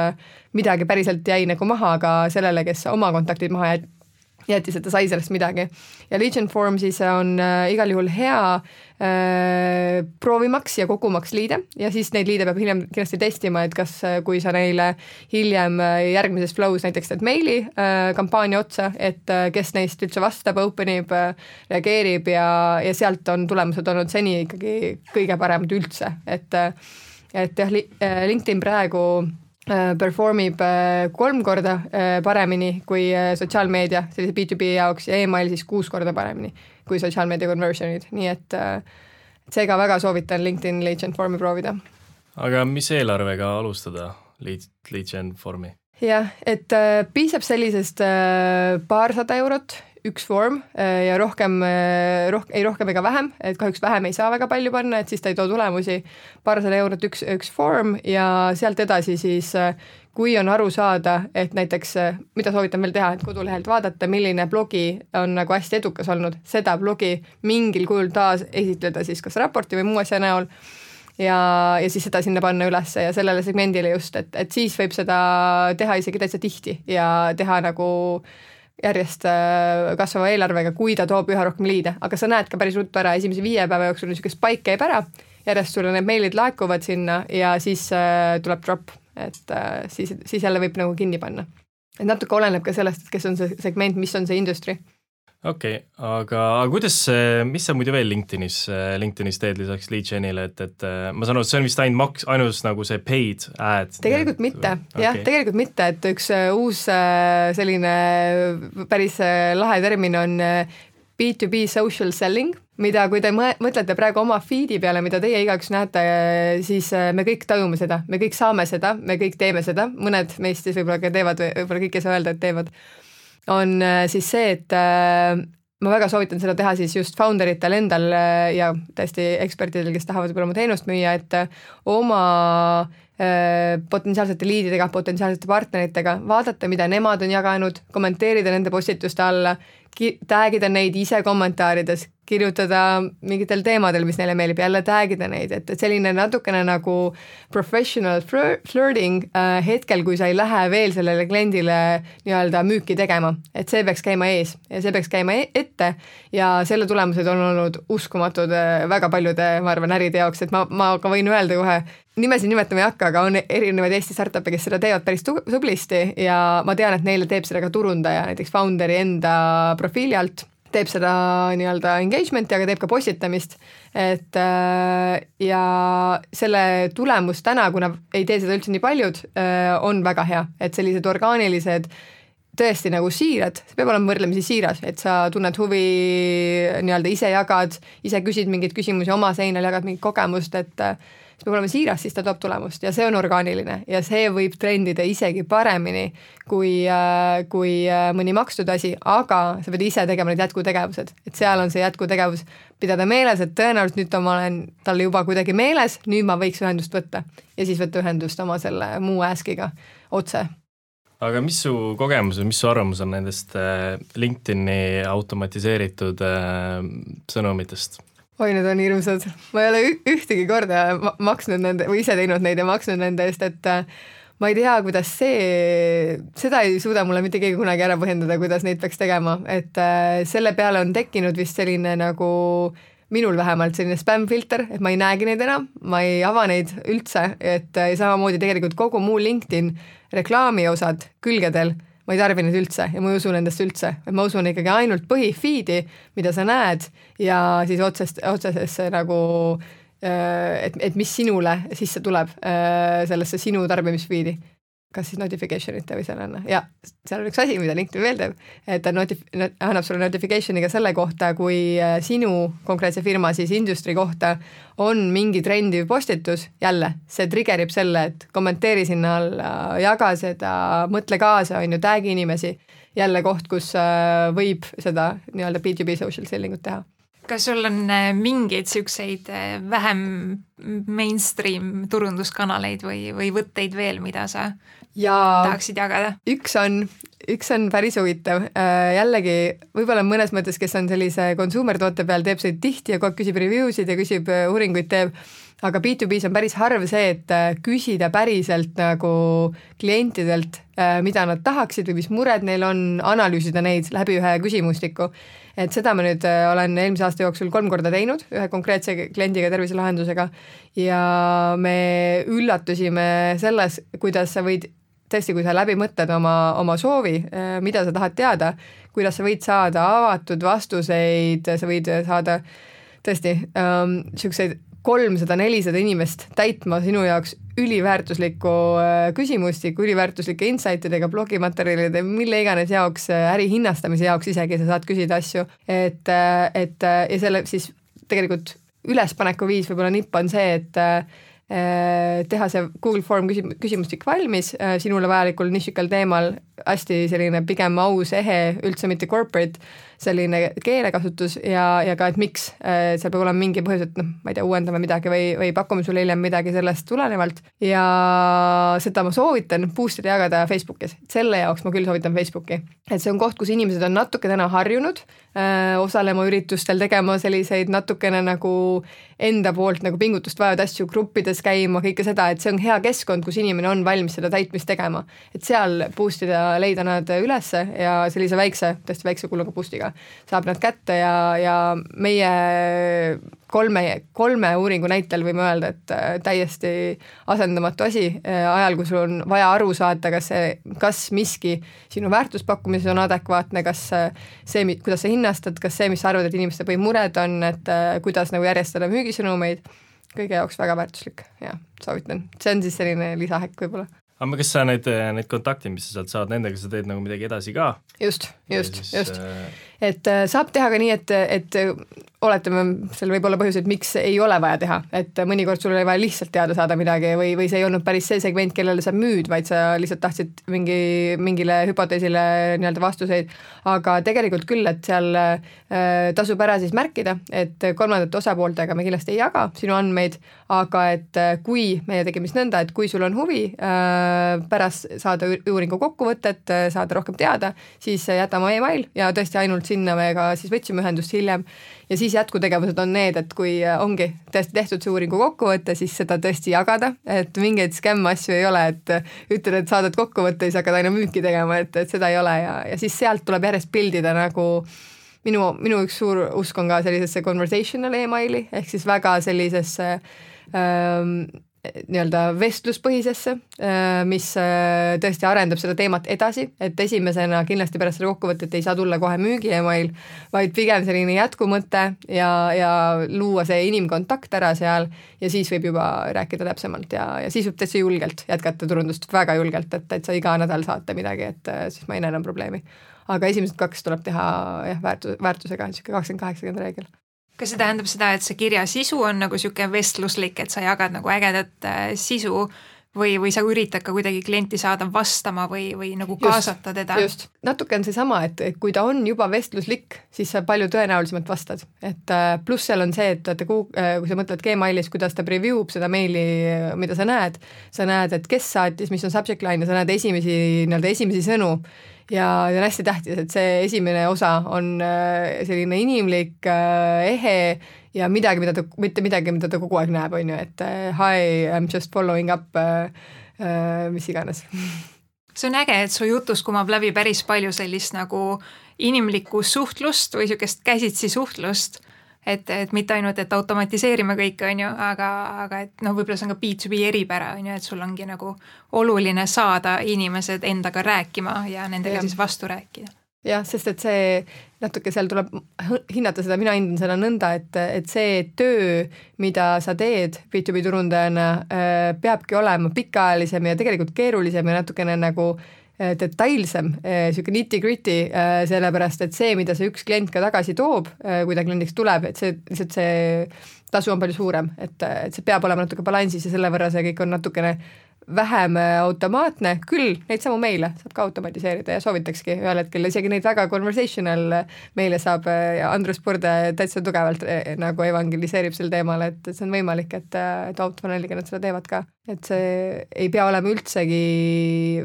midagi päriselt jäi nagu maha, aga sellele, kes oma kontaktid maha jät- jättis, et ta sai sellest midagi. Ja Lead Gen Forum siis on äh, igal juhul hea äh, proovimaks ja kogumaks liide ja siis neid liide peab hiljem kindlasti testima, et kas äh, kui sa neile hiljem äh, järgmises flows näiteks teed meili äh, kampaania otsa, et äh, kes neist üldse vastab, openib äh,, reageerib ja, ja sealt on tulemused olnud seni ikkagi kõige paremad üldse, et, äh, et jah, LinkedIn praegu performib kolm korda paremini kui sotsiaalmeedia sellise B to B jaoks ja email siis kuus korda paremini kui sotsiaalmeedia conversionid, nii et seega väga soovitan LinkedIn Lead Gen Formi proovida. Aga mis eelarvega alustada Lead, Lead Gen Formi? Jah, et piisab sellisest paarsada eurot üks vorm ja rohkem, roh, ei rohkem ega vähem, et kahjuks vähem ei saa väga palju panna, et siis ta ei too tulemusi, paarsada eurot üks, üks vorm ja sealt edasi siis, kui on aru saada, et näiteks, mida soovitan veel teha, et kodulehelt vaadata, milline blogi on nagu hästi edukas olnud, seda blogi mingil kujul taas esitleda siis kas raporti või muu asja näol ja, ja siis seda sinna panna ülesse ja sellele segmendile just, et, et siis võib seda teha isegi täitsa tihti ja teha nagu järjest kasvava eelarvega, kui ta toob üha rohkem liide, aga sa näed ka päris ruttu ära, esimese viie päeva jooksul niisugune spike käib ära, järjest sulle need meilid laekuvad sinna ja siis äh, tuleb drop, et äh, siis, siis jälle võib nagu kinni panna. Et natuke oleneb ka sellest, et kes on see segment, mis on see industry. Okei, okay, aga kuidas, mis sa muidu veel LinkedInis, LinkedInis teed lisaks Lead Genile, et, et ma saan aru, et see on vist ainult maks, ainus nagu see paid ad? Tegelikult mitte, okay. jah, tegelikult mitte, et üks uus selline päris lahe termin on B to B social selling, mida kui te mõtlete praegu oma feedi peale, mida teie igaüks näete, siis me kõik tajume seda, me kõik saame seda, me kõik teeme seda, mõned meist siis võib-olla ka teevad, võib-olla kõik ei saa öelda, et teevad, on siis see, et ma väga soovitan seda teha siis just founderitel endal ja täiesti ekspertidel, kes tahavad võib-olla oma teenust müüa, et oma potentsiaalsete liididega, potentsiaalsete partneritega, vaadata, mida nemad on jaganud, kommenteerida nende postituste alla, tagida neid ise kommentaarides, kirjutada mingitel teemadel, mis neile meeldib, jälle tagida neid, et, et selline natukene nagu professional flirting äh, hetkel, kui sa ei lähe veel sellele kliendile nii-öelda müüki tegema, et see peaks käima ees ja see peaks käima ette ja selle tulemused on olnud uskumatud äh, väga paljude, ma arvan, äride jaoks, et ma, ma ka võin öelda kohe, nimesid nimetama ei hakka, aga on erinevaid Eesti startup'e, kes seda teevad päris tublisti ja ma tean, et neile teeb seda ka turundaja, näiteks founderi enda profiili alt, teeb seda nii-öelda engagement'i, aga teeb ka postitamist, et ja selle tulemus täna, kuna ei tee seda üldse nii paljud, on väga hea, et sellised orgaanilised tõesti nagu siirad, see peab olema võrdlemisi siiras, et sa tunned huvi, nii-öelda ise jagad, ise küsid mingeid küsimusi oma seinal, jagad mingit kogemust, et see peab olema siiras, siis ta toob tulemust ja see on orgaaniline ja see võib trendida isegi paremini kui, kui mõni makstud asi, aga sa pead ise tegema need jätkutegevused, et seal on see jätkutegevus pidada meeles, et tõenäoliselt nüüd ma olen talle juba kuidagi meeles, nüüd ma võiks ühendust võtta ja siis võtta ühendust oma selle muu äskiga otse. Aga mis su kogemus või mis su arvamus on nendest LinkedIni automatiseeritud sõnumitest? Oi, need on hirmsad. Ma ei ole ühtegi korda maksnud nende, või ise teinud neid ja maksnud nende eest, et ma ei tea, kuidas see, seda ei suuda mulle mitte keegi kunagi ära põhjendada, kuidas neid peaks tegema, et selle peale on tekkinud vist selline nagu minul vähemalt selline spam-filter, et ma ei näegi neid enam, ma ei ava neid üldse, et samamoodi tegelikult kogu muu LinkedIn reklaami osad külgedel ma ei tarbi neid üldse ja ma ei usu nendest üldse, et ma usun ikkagi ainult põhifiidi, mida sa näed ja siis otsest, otsesesse nagu, et, et mis sinule sisse tuleb sellesse sinu tarbimisfiidi. kas siis notification'ite või sellena ja seal on üks asi, mida LinkedIn veel teeb, et ta notif-, annab sulle notification'i ka selle kohta, kui sinu konkreetse firma siis industry kohta on mingi trendiv postitus, jälle see triggerib selle, et kommenteeri sinna alla, jaga seda, mõtle kaasa, on ju, tag'i inimesi, jälle koht, kus võib seda nii-öelda B two B social selling ut teha. Kas sul on mingeid siukseid vähem mainstream turunduskanaleid või, või võtteid veel, mida sa ja tahaksid jagada? Üks on, üks on päris huvitav. Jällegi, võib-olla mõnes mõttes, kes on sellise consumer toote peal, teeb seda tihti ja kogu aeg küsib review'sid ja küsib uuringuid teeb, aga B two B's on päris harv see, et küsida päriselt nagu klientidelt, mida nad tahaksid või mis mured neil on, analüüsida neid läbi ühe küsimustiku. Et seda ma nüüd olen eelmise aasta jooksul kolm korda teinud ühe konkreetse kliendiga terviselahendusega ja me üllatusime selles, kuidas sa võid, tõesti, kui sa läbi mõtled oma, oma soovi, mida sa tahad teada, kuidas sa võid saada avatud vastuseid, sa võid saada tõesti um, siukseid kolmsada nelisada inimest täitma sinu jaoks üliväärtuslikku küsimustikku, üliväärtuslike insightidega, blogimaterjalide, mille iganes jaoks, äri hinnastamise jaoks isegi sa saad küsida asju, et, et ja selle siis tegelikult ülespaneku viis võib-olla nipp on see, et teha see Google Form küsimustik valmis sinule vajalikul nišikal teemal, hästi selline pigem aus, ehe, üldse mitte corporate, selline keelekasutus ja, ja ka, et miks seal peab olema mingi põhjus, et noh, ma ei tea, uuendame midagi või, või pakume sulle hiljem midagi sellest tulenevalt ja seda ma soovitan boostida jagada Facebookis. Selle jaoks ma küll soovitan Facebooki. Et see on koht, kus inimesed on natuke täna harjunud äh, osalema üritustel, tegema selliseid natukene nagu enda poolt nagu pingutust vajavad asju, gruppides käima, kõike seda, et see on hea keskkond, kus inimene on valmis seda täitmist tegema. Et seal boostida, leida nad ülesse ja sellise väikse, tõesti väikse kuluga boostiga saab nad kätte ja, ja meie kolme, kolme uuringu näitel võime öelda, et täiesti asendamatu asi ajal, kui sul on vaja aru saada, kas see, kas miski sinu väärtuspakkumises on adekvaatne, kas see, kuidas sa hinnastad, kas see, mis sa arvad, et inimeste põhimured on, et kuidas nagu järjestada müügisõnumeid, kõige jaoks väga väärtuslik ja soovitan. See on siis selline lisahäkk võib-olla. Aga kas sa need, need kontaktid, mis sa sealt saad, nendega sa teed nagu midagi edasi ka? Just, just, siis, just. Et saab teha ka nii, et, et oletame, seal võib olla põhjus, et miks ei ole vaja teha, et mõnikord sul oli vaja lihtsalt teada saada midagi või, või see ei olnud päris see segment, kellele sa müüd, vaid sa lihtsalt tahtsid mingi, mingile hüpoteesile nii-öelda vastuseid, aga tegelikult küll, et seal äh, tasub ära siis märkida, et kolmandate osapooltega me kindlasti ei jaga sinu andmeid, aga et kui meie tegime siis nõnda, et kui sul on huvi äh, pärast saada uuringu kokkuvõtet, saada rohkem teada, siis jäta oma email ja tõesti ainult sinna me ka siis võtsime ühendust hiljem ja siis jätkutegevused on need, et kui ongi tõesti tehtud see uuringu kokkuvõte, siis seda tõesti jagada, et mingeid skämm asju ei ole, et ütled, et saadad kokkuvõtte ja siis hakkad aina müüki tegema, et, et seda ei ole ja, ja siis sealt tuleb järjest pildida nagu minu, minu üks suur usk on ka sellisesse conversational emaili, ehk siis väga sellisesse ähm, nii-öelda vestluspõhisesse, mis tõesti arendab seda teemat edasi, et esimesena kindlasti pärast seda kokkuvõtet ei saa tulla kohe müügi email, vaid pigem selline jätkumõte ja, ja luua see inimkontakt ära seal ja siis võib juba rääkida täpsemalt ja, ja siis võib täitsa julgelt jätkata turundust väga julgelt, et, et sa iga nädal saate midagi, et siis ma ei näe enam probleemi. Aga esimesed kaks tuleb teha jah, väärtus, väärtusega, niisugune kakskümmend kaheksakümmend reegel. Kas see tähendab seda, et see kirja sisu on nagu siuke vestluslik, et sa jagad nagu ägedat äh, sisu või, või sa üritad ka kuidagi klienti saada vastama või, või nagu kaasata just, teda? Just, natuke on see sama, et kui ta on juba vestluslik, siis sa palju tõenäolisemalt vastad. Et äh, pluss seal on see, et, et kui, äh, kui sa mõtled Gmailis, kuidas ta preview'b seda meili, mida sa näed, sa näed, et kes saatis, mis on subject line ja sa näed esimesi, nii-öelda esimesi sõnu ja, ja on hästi tähtis, et see esimene osa on äh, selline inimlik, äh, ehe ja midagi, mida ta, mitte midagi, mida ta kogu aeg näeb, on ju, et äh, hi, I am just following up, äh, äh, mis iganes. See on äge, et su jutus kumab läbi päris palju sellist nagu inimlikku suhtlust või niisugust käsitsi suhtlust, et, et mitte ainult, et automatiseerime kõike, on ju, aga, aga et noh, võib-olla see on ka B two B eripära, on ju, et sul ongi nagu oluline saada inimesed endaga rääkima ja nendega ja. siis vastu rääkida. jah, sest et see natuke seal tuleb hinnata seda, mina hindan seda nõnda, et, et see töö, mida sa teed B two B turundajana, peabki olema pikaajalisem ja tegelikult keerulisem ja natukene nagu detailsem, niisugune nitty-gritty, sellepärast et see, mida see üks klient ka tagasi toob, kui ta kliendiks tuleb, et see lihtsalt see tasu on palju suurem, et, et see peab olema natuke balansis ja selle võrra see kõik on natukene vähem automaatne, küll neid samu meile saab ka automatiseerida ja soovitakski ühel hetkel, isegi neid väga conversational meile saab ja Andrus Purde täitsa tugevalt nagu evangeliseerib sel teemal, et see on võimalik, et, et autofunneliga nad seda teevad ka. Et see ei pea olema üldsegi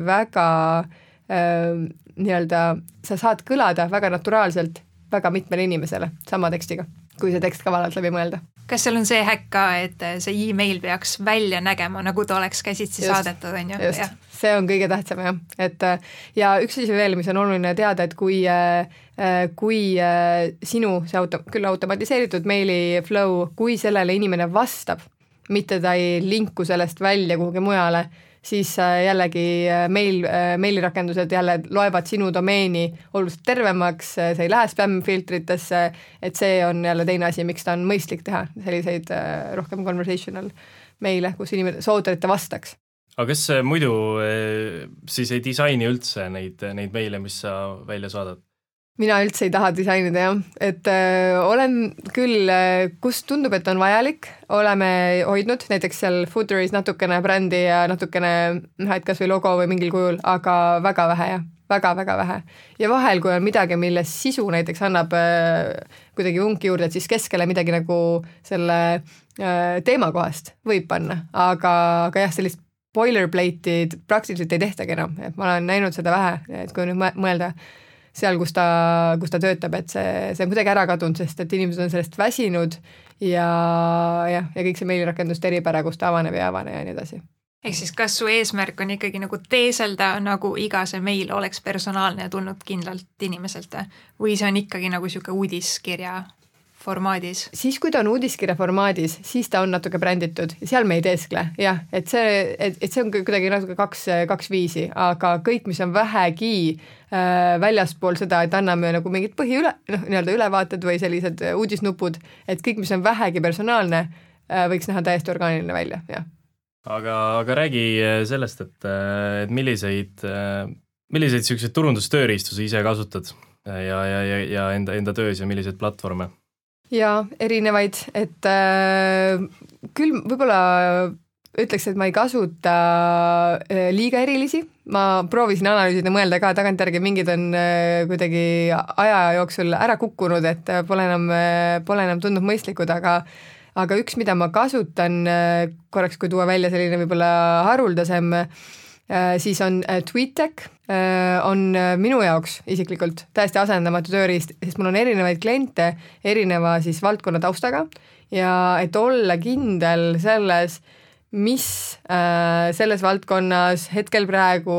väga äh, nii-öelda, sa saad kõlada väga naturaalselt väga mitmele inimesele sama tekstiga, kui see tekst ka valalt läbi mõelda. Kas seal on see häkk ka, et see e-mail peaks välja nägema, nagu ta oleks käsitsi just, saadetud, on ju? Just, see on kõige tähtsam jah, et ja üks asi veel, mis on oluline teada, et kui, kui sinu see auto, küll automatiseeritud meili flow, kui sellele inimene vastab, mitte ta ei linku sellest välja kuhugi mujale, siis jällegi meil, meilirakendused jälle loevad sinu domeeni oluliselt tervemaks, see ei lähe spam-filtritesse, et see on jälle teine asi, miks ta on mõistlik teha selliseid rohkem conversational meile, kus inimene soovitavad, et ta vastaks. Aga kas muidu siis ei disaini üldse neid, neid meile, mis sa välja saadad? Mina üldse ei taha disainida jah, et äh, olen küll, kus tundub, et on vajalik, oleme hoidnud näiteks seal Footeris natukene brändi ja natukene, et kas või logo või mingil kujul, aga väga vähe jah, väga-väga vähe. Ja vahel, kui on midagi, milles sisu näiteks annab äh, kuidagi unki juurde, et siis keskele midagi nagu selle äh, teema kohast võib panna, aga, aga jah, sellist boilerplate'id praktiliselt ei tehtagi enam, et ma olen näinud seda vähe, et kui nüüd mõelda seal, kus ta, kus ta töötab, et see, see on kuidagi ära kadunud, sest et inimesed on sellest väsinud ja, ja, ja kõik see meilirakenduste eripära, kus ta avaneb ja avane ja nii edasi. Ehk siis kas su eesmärk on ikkagi nagu teeselda, nagu iga see meil oleks personaalne ja tulnud kindlalt inimeselt või see on ikkagi nagu siuke uudiskirja formaadis? Siis, kui ta on uudiskirja formaadis, siis ta on natuke bränditud ja seal me ei teeskle, jah, et see, et, et see on kuidagi natuke kaks, kaks viisi, aga kõik, mis on vähegi äh, väljaspool seda, et anname nagu mingid põhi üle, noh, nii-öelda ülevaated või sellised uudisnupud, et kõik, mis on vähegi personaalne äh,, võiks näha täiesti orgaaniline välja, jah. Aga, aga räägi sellest, et, et milliseid, milliseid selliseid turundustööriistu sa ise kasutad ja, ja, ja, ja enda, enda töös ja milliseid platvorme? Jaa, erinevaid, et äh, küll võib-olla ütleks, et ma ei kasuta äh, liiga erilisi, ma proovisin analüüsida, mõelda ka tagantjärgi, mingid on äh, kuidagi aja jooksul ära kukkunud, et pole enam, pole enam tundnud mõistlikud, aga aga üks, mida ma kasutan äh, korraks, kui tuua välja selline võib-olla haruldasem, äh, siis on äh, TweetDeck, on minu jaoks isiklikult täiesti asendamatu tööriist, sest mul on erinevaid kliente erineva siis valdkonna taustaga ja et olla kindel selles, mis äh, selles valdkonnas hetkel praegu,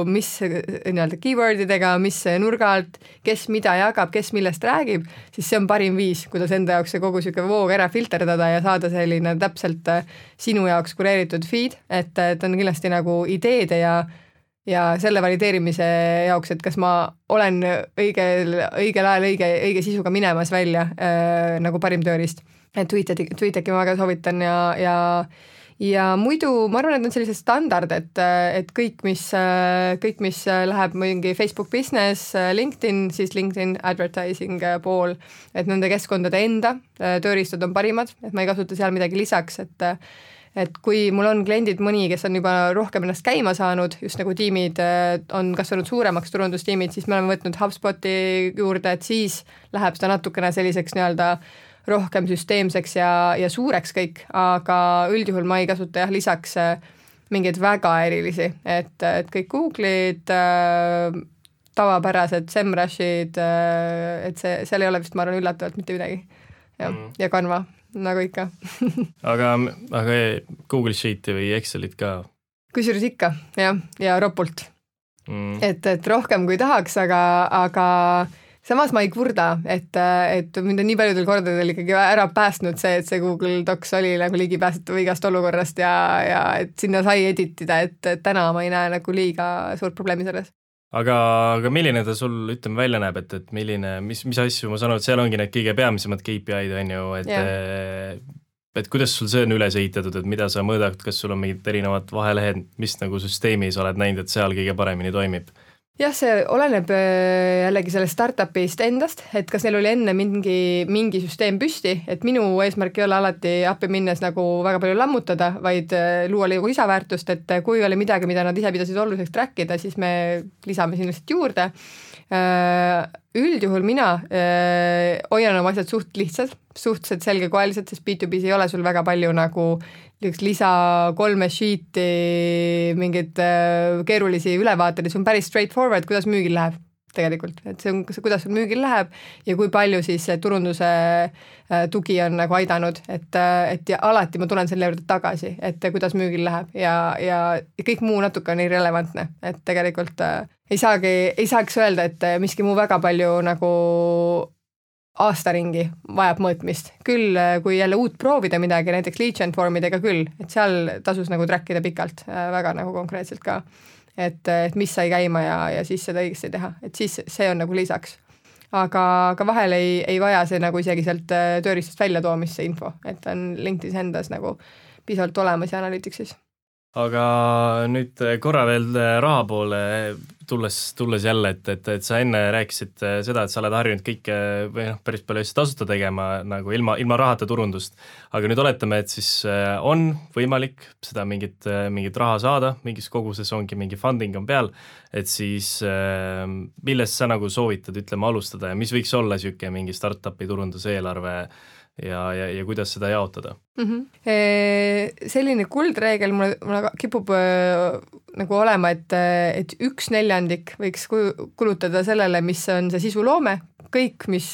mis nii-öelda keywordidega, mis nurga alt, kes mida jagab, kes millest räägib, siis see on parim viis, kuidas enda jaoks see kogu siuke voog ära filterdada ja saada selline täpselt sinu jaoks kureeritud feed, et, et on kindlasti nagu ideede ja ja selle valideerimise jaoks, et kas ma olen õigel, õigel ajal õige, õige sisuga minemas välja äh, nagu parim tööriist. Tweetdecki, Tweetdecki ma väga soovitan ja, ja ja muidu ma arvan, et on sellised standard, et, et kõik, mis, kõik, mis läheb mingi Facebook Business, LinkedIn, siis LinkedIn advertising pool, et nende keskkondade enda tööriistad on parimad, et ma ei kasuta seal midagi lisaks, et et kui mul on kliendid mõni, kes on juba rohkem ennast käima saanud, just nagu tiimid on kasvanud suuremaks turundustiimid, siis me oleme võtnud HubSpoti juurde, et siis läheb seda natukene selliseks nii-öelda rohkem süsteemseks ja, ja suureks kõik, aga üldjuhul ma ei kasuta jah lisaks mingeid väga erilisi, et, et kõik Google'id, tavapärased SEMrushid, et see, seal ei ole vist, ma arvan, üllatavalt mitte midagi. Ja, mm. ja Canva nagu ikka. aga, aga Google Sheet'i või Excelit ka? Kusjuures ikka, jah, ja ropult. Mm. Et, et rohkem kui tahaks, aga, aga samas ma ei kurda, et, et mind on nii paljudel kordadel ikkagi ära päästnud see, et see Google Docs oli nagu ligipääsetav igast olukorrast ja, ja et sinna sai editida, et, et täna ma ei näe nagu liiga suurt probleemi selles. aga, aga milline ta sul, ütleme, välja näeb, et, et milline, mis, mis asju, ma saan aru, et seal ongi need kõige peamisemad K P I-d, on ju, et yeah. et kuidas sul see on üles ehitatud, et mida sa mõõdad, kas sul on mingid erinevad vahelehed, mis nagu süsteemis oled näinud, et seal kõige paremini toimib? Jah, see oleneb jällegi sellest startupist endast, et kas neil oli enne mingi, mingi süsteem püsti, et minu eesmärk ei ole alati appi minnes nagu väga palju lammutada, vaid luua lisaväärtust, et kui oli midagi, mida nad ise pidasid oluliseks trackida, siis me lisame sinna lihtsalt juurde. Üldjuhul mina hoian oma asjad suht lihtsad, suhteliselt selgekoelised, sest B two B's ei ole sul väga palju nagu lisa kolme sheet'i, mingid keerulisi ülevaateid, see on päris straightforward, kuidas müügil läheb tegelikult, et see on, kuidas sul müügil läheb ja kui palju siis turunduse tugi on nagu aidanud, et, et ja alati ma tulen selle juurde tagasi, et kuidas müügil läheb ja, ja, ja kõik muu natuke on irrelevantne, et tegelikult ei saagi, ei saaks öelda, et miski muu väga palju nagu aastaringi vajab mõõtmist. Küll, kui jälle uut proovida midagi, näiteks lead gen formidega küll, et seal tasus nagu trackida pikalt, väga nagu konkreetselt ka, et, et mis sai käima ja, ja siis seda õigesti teha, et siis see on nagu lisaks. Aga, aga vahel ei, ei vaja see nagu isegi sealt tööriistast välja toomist see info, et on LinkedInis endas nagu piisavalt olemas ja Analyticsis. Aga nüüd korra veel raha poole tulles, tulles jälle, et, et, et sa enne rääkisid seda, et sa oled harjunud kõike või noh, päris palju asju tasuta tegema nagu ilma, ilma rahata turundust. Aga nüüd oletame, et siis on võimalik seda mingit, mingit raha saada, mingis koguses ongi mingi funding on peal, et siis millest sa nagu soovitad, ütleme, alustada ja mis võiks olla siuke mingi startupi turunduse eelarve ja, ja, ja kuidas seda jaotada? Mm-hmm. E, selline kuldreegel mulle, mulle kipub äh, nagu olema, et, et üks neljandik võiks kulutada sellele, mis on see sisuloome, kõik, mis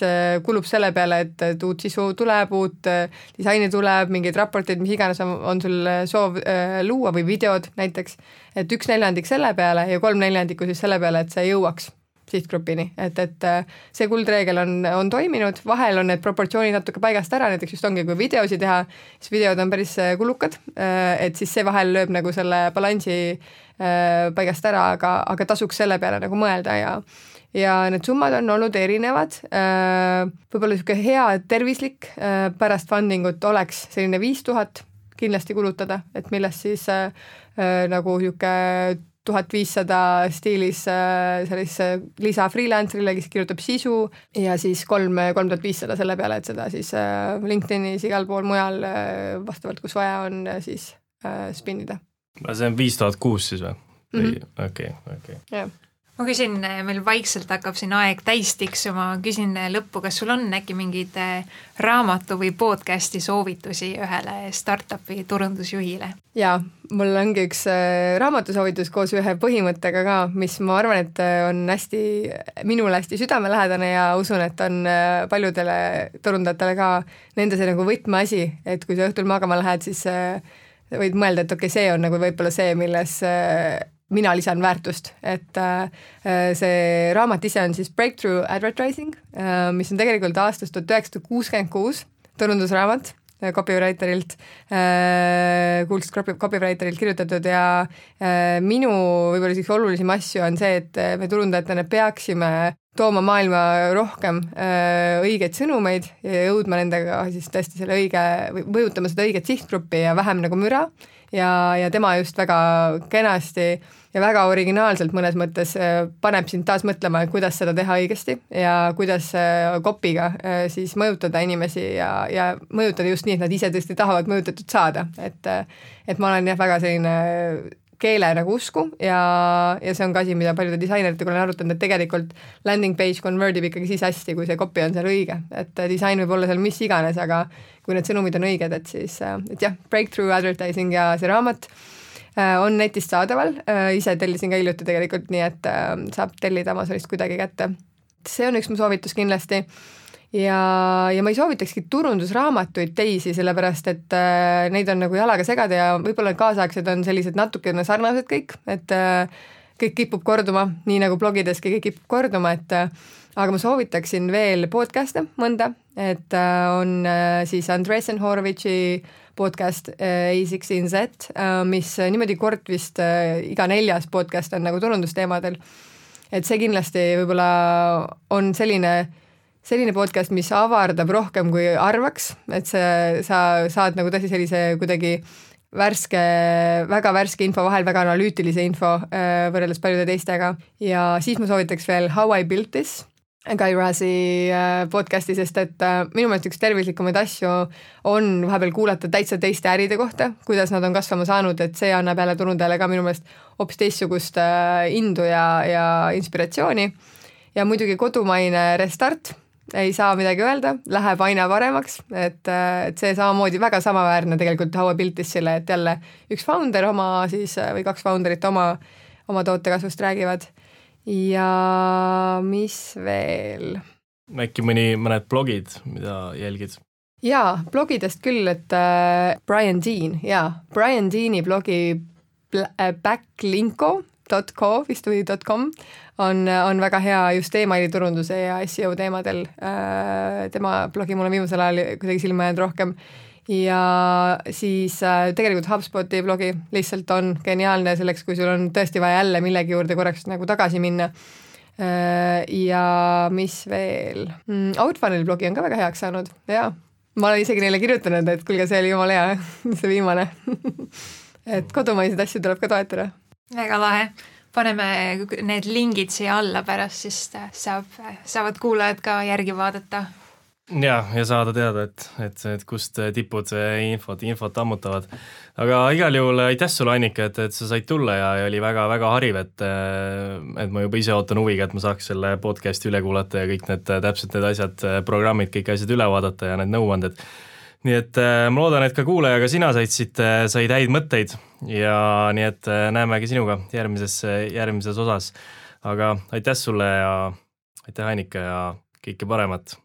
kulub selle peale, et, et uut sisu tuleb, uut disaini tuleb, mingid raportid, mis iganes on, on sul soov äh, luua või videod näiteks, et üks neljandik selle peale ja kolm neljandikku siis selle peale, et see jõuaks sihtgrupini, et, et see kuldreegel on, on toiminud, vahel on need proportsioonid natuke paigast ära, näiteks just ongi, kui videosi teha, siis videod on päris kulukad, et siis see vahel lööb nagu selle balansi paigast ära, aga, aga tasuks selle peale nagu mõelda ja ja need summad on olnud erinevad, võib-olla niisugune hea tervislik pärast fundingut oleks selline viis tuhat kindlasti kulutada, et millest siis nagu niisugune tuhat viissada stiilis sellise lisa freelancerile, kes kirjutab sisu ja siis kolm, kolm tuhat viissada selle peale, et seda siis LinkedInis igal pool mujal vastavalt, kus vaja on, siis spinnida. See on viis tuhat kuus siis või? Mm-hmm. Okei, okei. Jah. Ma küsin, meil vaikselt hakkab siin aeg täis tiksuma, küsin lõppu, kas sul on äkki mingid raamatu või podcasti soovitusi ühele startupi turundusjuhile? Jaa, mul ongi üks raamatusoovitus koos ühe põhimõttega ka, mis ma arvan, et on hästi, minule hästi südamelähedane ja usun, et on paljudele turundajatele ka nende see nagu võtmeasi, et kui sa õhtul magama lähed, siis võid mõelda, et okei, see on nagu võib-olla see, milles mina lisan väärtust, et see raamat ise on siis Breakthrough Advertising, mis on tegelikult aastast tuhat üheksasada kuuskümmend kuus turundusraamat copywriterilt, kuulsast copywriterilt kirjutatud ja minu võib-olla siis olulisem asju on see, et me turundajatena peaksime tooma maailma rohkem õigeid sõnumeid ja jõudma nendega siis tõesti selle õige, või mõjutama seda õiget sihtgruppi ja vähem nagu müra ja, ja tema just väga kenasti ja väga originaalselt mõnes mõttes paneb sind taas mõtlema, kuidas seda teha õigesti ja kuidas kopiga siis mõjutada inimesi ja, ja mõjutada just nii, et nad ise tõesti tahavad mõjutatud saada, et, et ma olen jah väga selline keele nagu usku ja, ja see on ka asi, mida paljude disaineritega olen arutanud, et tegelikult landing page convertib ikkagi siis hästi, kui see copy on seal õige, et disain võib olla seal mis iganes, aga kui need sõnumid on õiged, et siis, et jah, Breakthrough Advertising ja see raamat on netist saadaval, ise tellisin ka hiljuti tegelikult, nii et saab tellida Amazonist kuidagi kätte. See on üks mu soovitus kindlasti ja, ja ma ei soovitakski turundusraamatuid teisi, sellepärast et äh, neid on nagu jalaga segada ja võib-olla kaasaegsed on sellised natukene sarnased kõik, et äh, kõik kipub korduma, nii nagu blogideski kõik kipub korduma, et äh, aga ma soovitaksin veel podcast'e mõnda, et äh, on äh, siis Andresen Horovitši podcast äh, A kuusteist Z, äh, mis niimoodi kord vist äh, iga neljas podcast on nagu turundusteemadel. et see kindlasti võib-olla on selline, selline podcast, mis avardab rohkem kui arvaks, et see, sa saad nagu tõesti sellise kuidagi värske, väga värske info vahel, väga analüütilise info äh, võrreldes paljude teistega ja siis ma soovitaks veel How I Built This, Guy Razzi podcasti, sest et minu meelest üks tervislikumaid asju on vahepeal kuulata täitsa teiste äride kohta, kuidas nad on kasvama saanud, et see annab jälle turundajale ka minu meelest hoopis teistsugust indu ja, ja inspiratsiooni. Ja muidugi kodumaine Restart, ei saa midagi öelda, läheb aina paremaks, et, et see samamoodi väga samaväärne tegelikult How I Built This'ile, et jälle üks founder oma siis või kaks founderit oma, oma tootekasvust räägivad. Ja mis veel? Äkki mõni, mõned blogid, mida jälgid? Jaa, blogidest küll, et äh, Brian Dean, jaa, Brian Deani blogi backlinko dot co vist või .com on, on väga hea just emaili turunduse ja S E O teemadel. Äh, tema blogi mul on viimasel ajal kuidagi silma jäänud rohkem. Ja siis äh, tegelikult HubSpoti blogi lihtsalt on geniaalne selleks, kui sul on tõesti vaja jälle millegi juurde korraks nagu tagasi minna. Äh, ja mis veel? Mm, Outfunneli blogi on ka väga heaks saanud, jaa. Ma olen isegi neile kirjutanud, et kuulge, see oli jumala hea, see viimane. et kodumaiseid asju tuleb ka toetada. Väga lahe. Paneme need lingid siia alla pärast, siis saab, saavad kuulajad ka järgi vaadata. Ja, ja saada teada, et, et, et kust tipud infot, infot ammutavad. Aga igal juhul aitäh sulle, Annika, et, et sa said tulla ja, ja oli väga, väga hariv, et, et ma juba ise ootan huviga, et ma saaks selle podcasti üle kuulata ja kõik need täpselt need asjad, programmid, kõik asjad üle vaadata ja need nõuanded. Nii et ma loodan, et ka kuulajaga sina said siit, said häid mõtteid ja nii et näemegi sinuga järgmises, järgmises osas. Aga aitäh sulle ja aitäh, Annika, ja kõike paremat!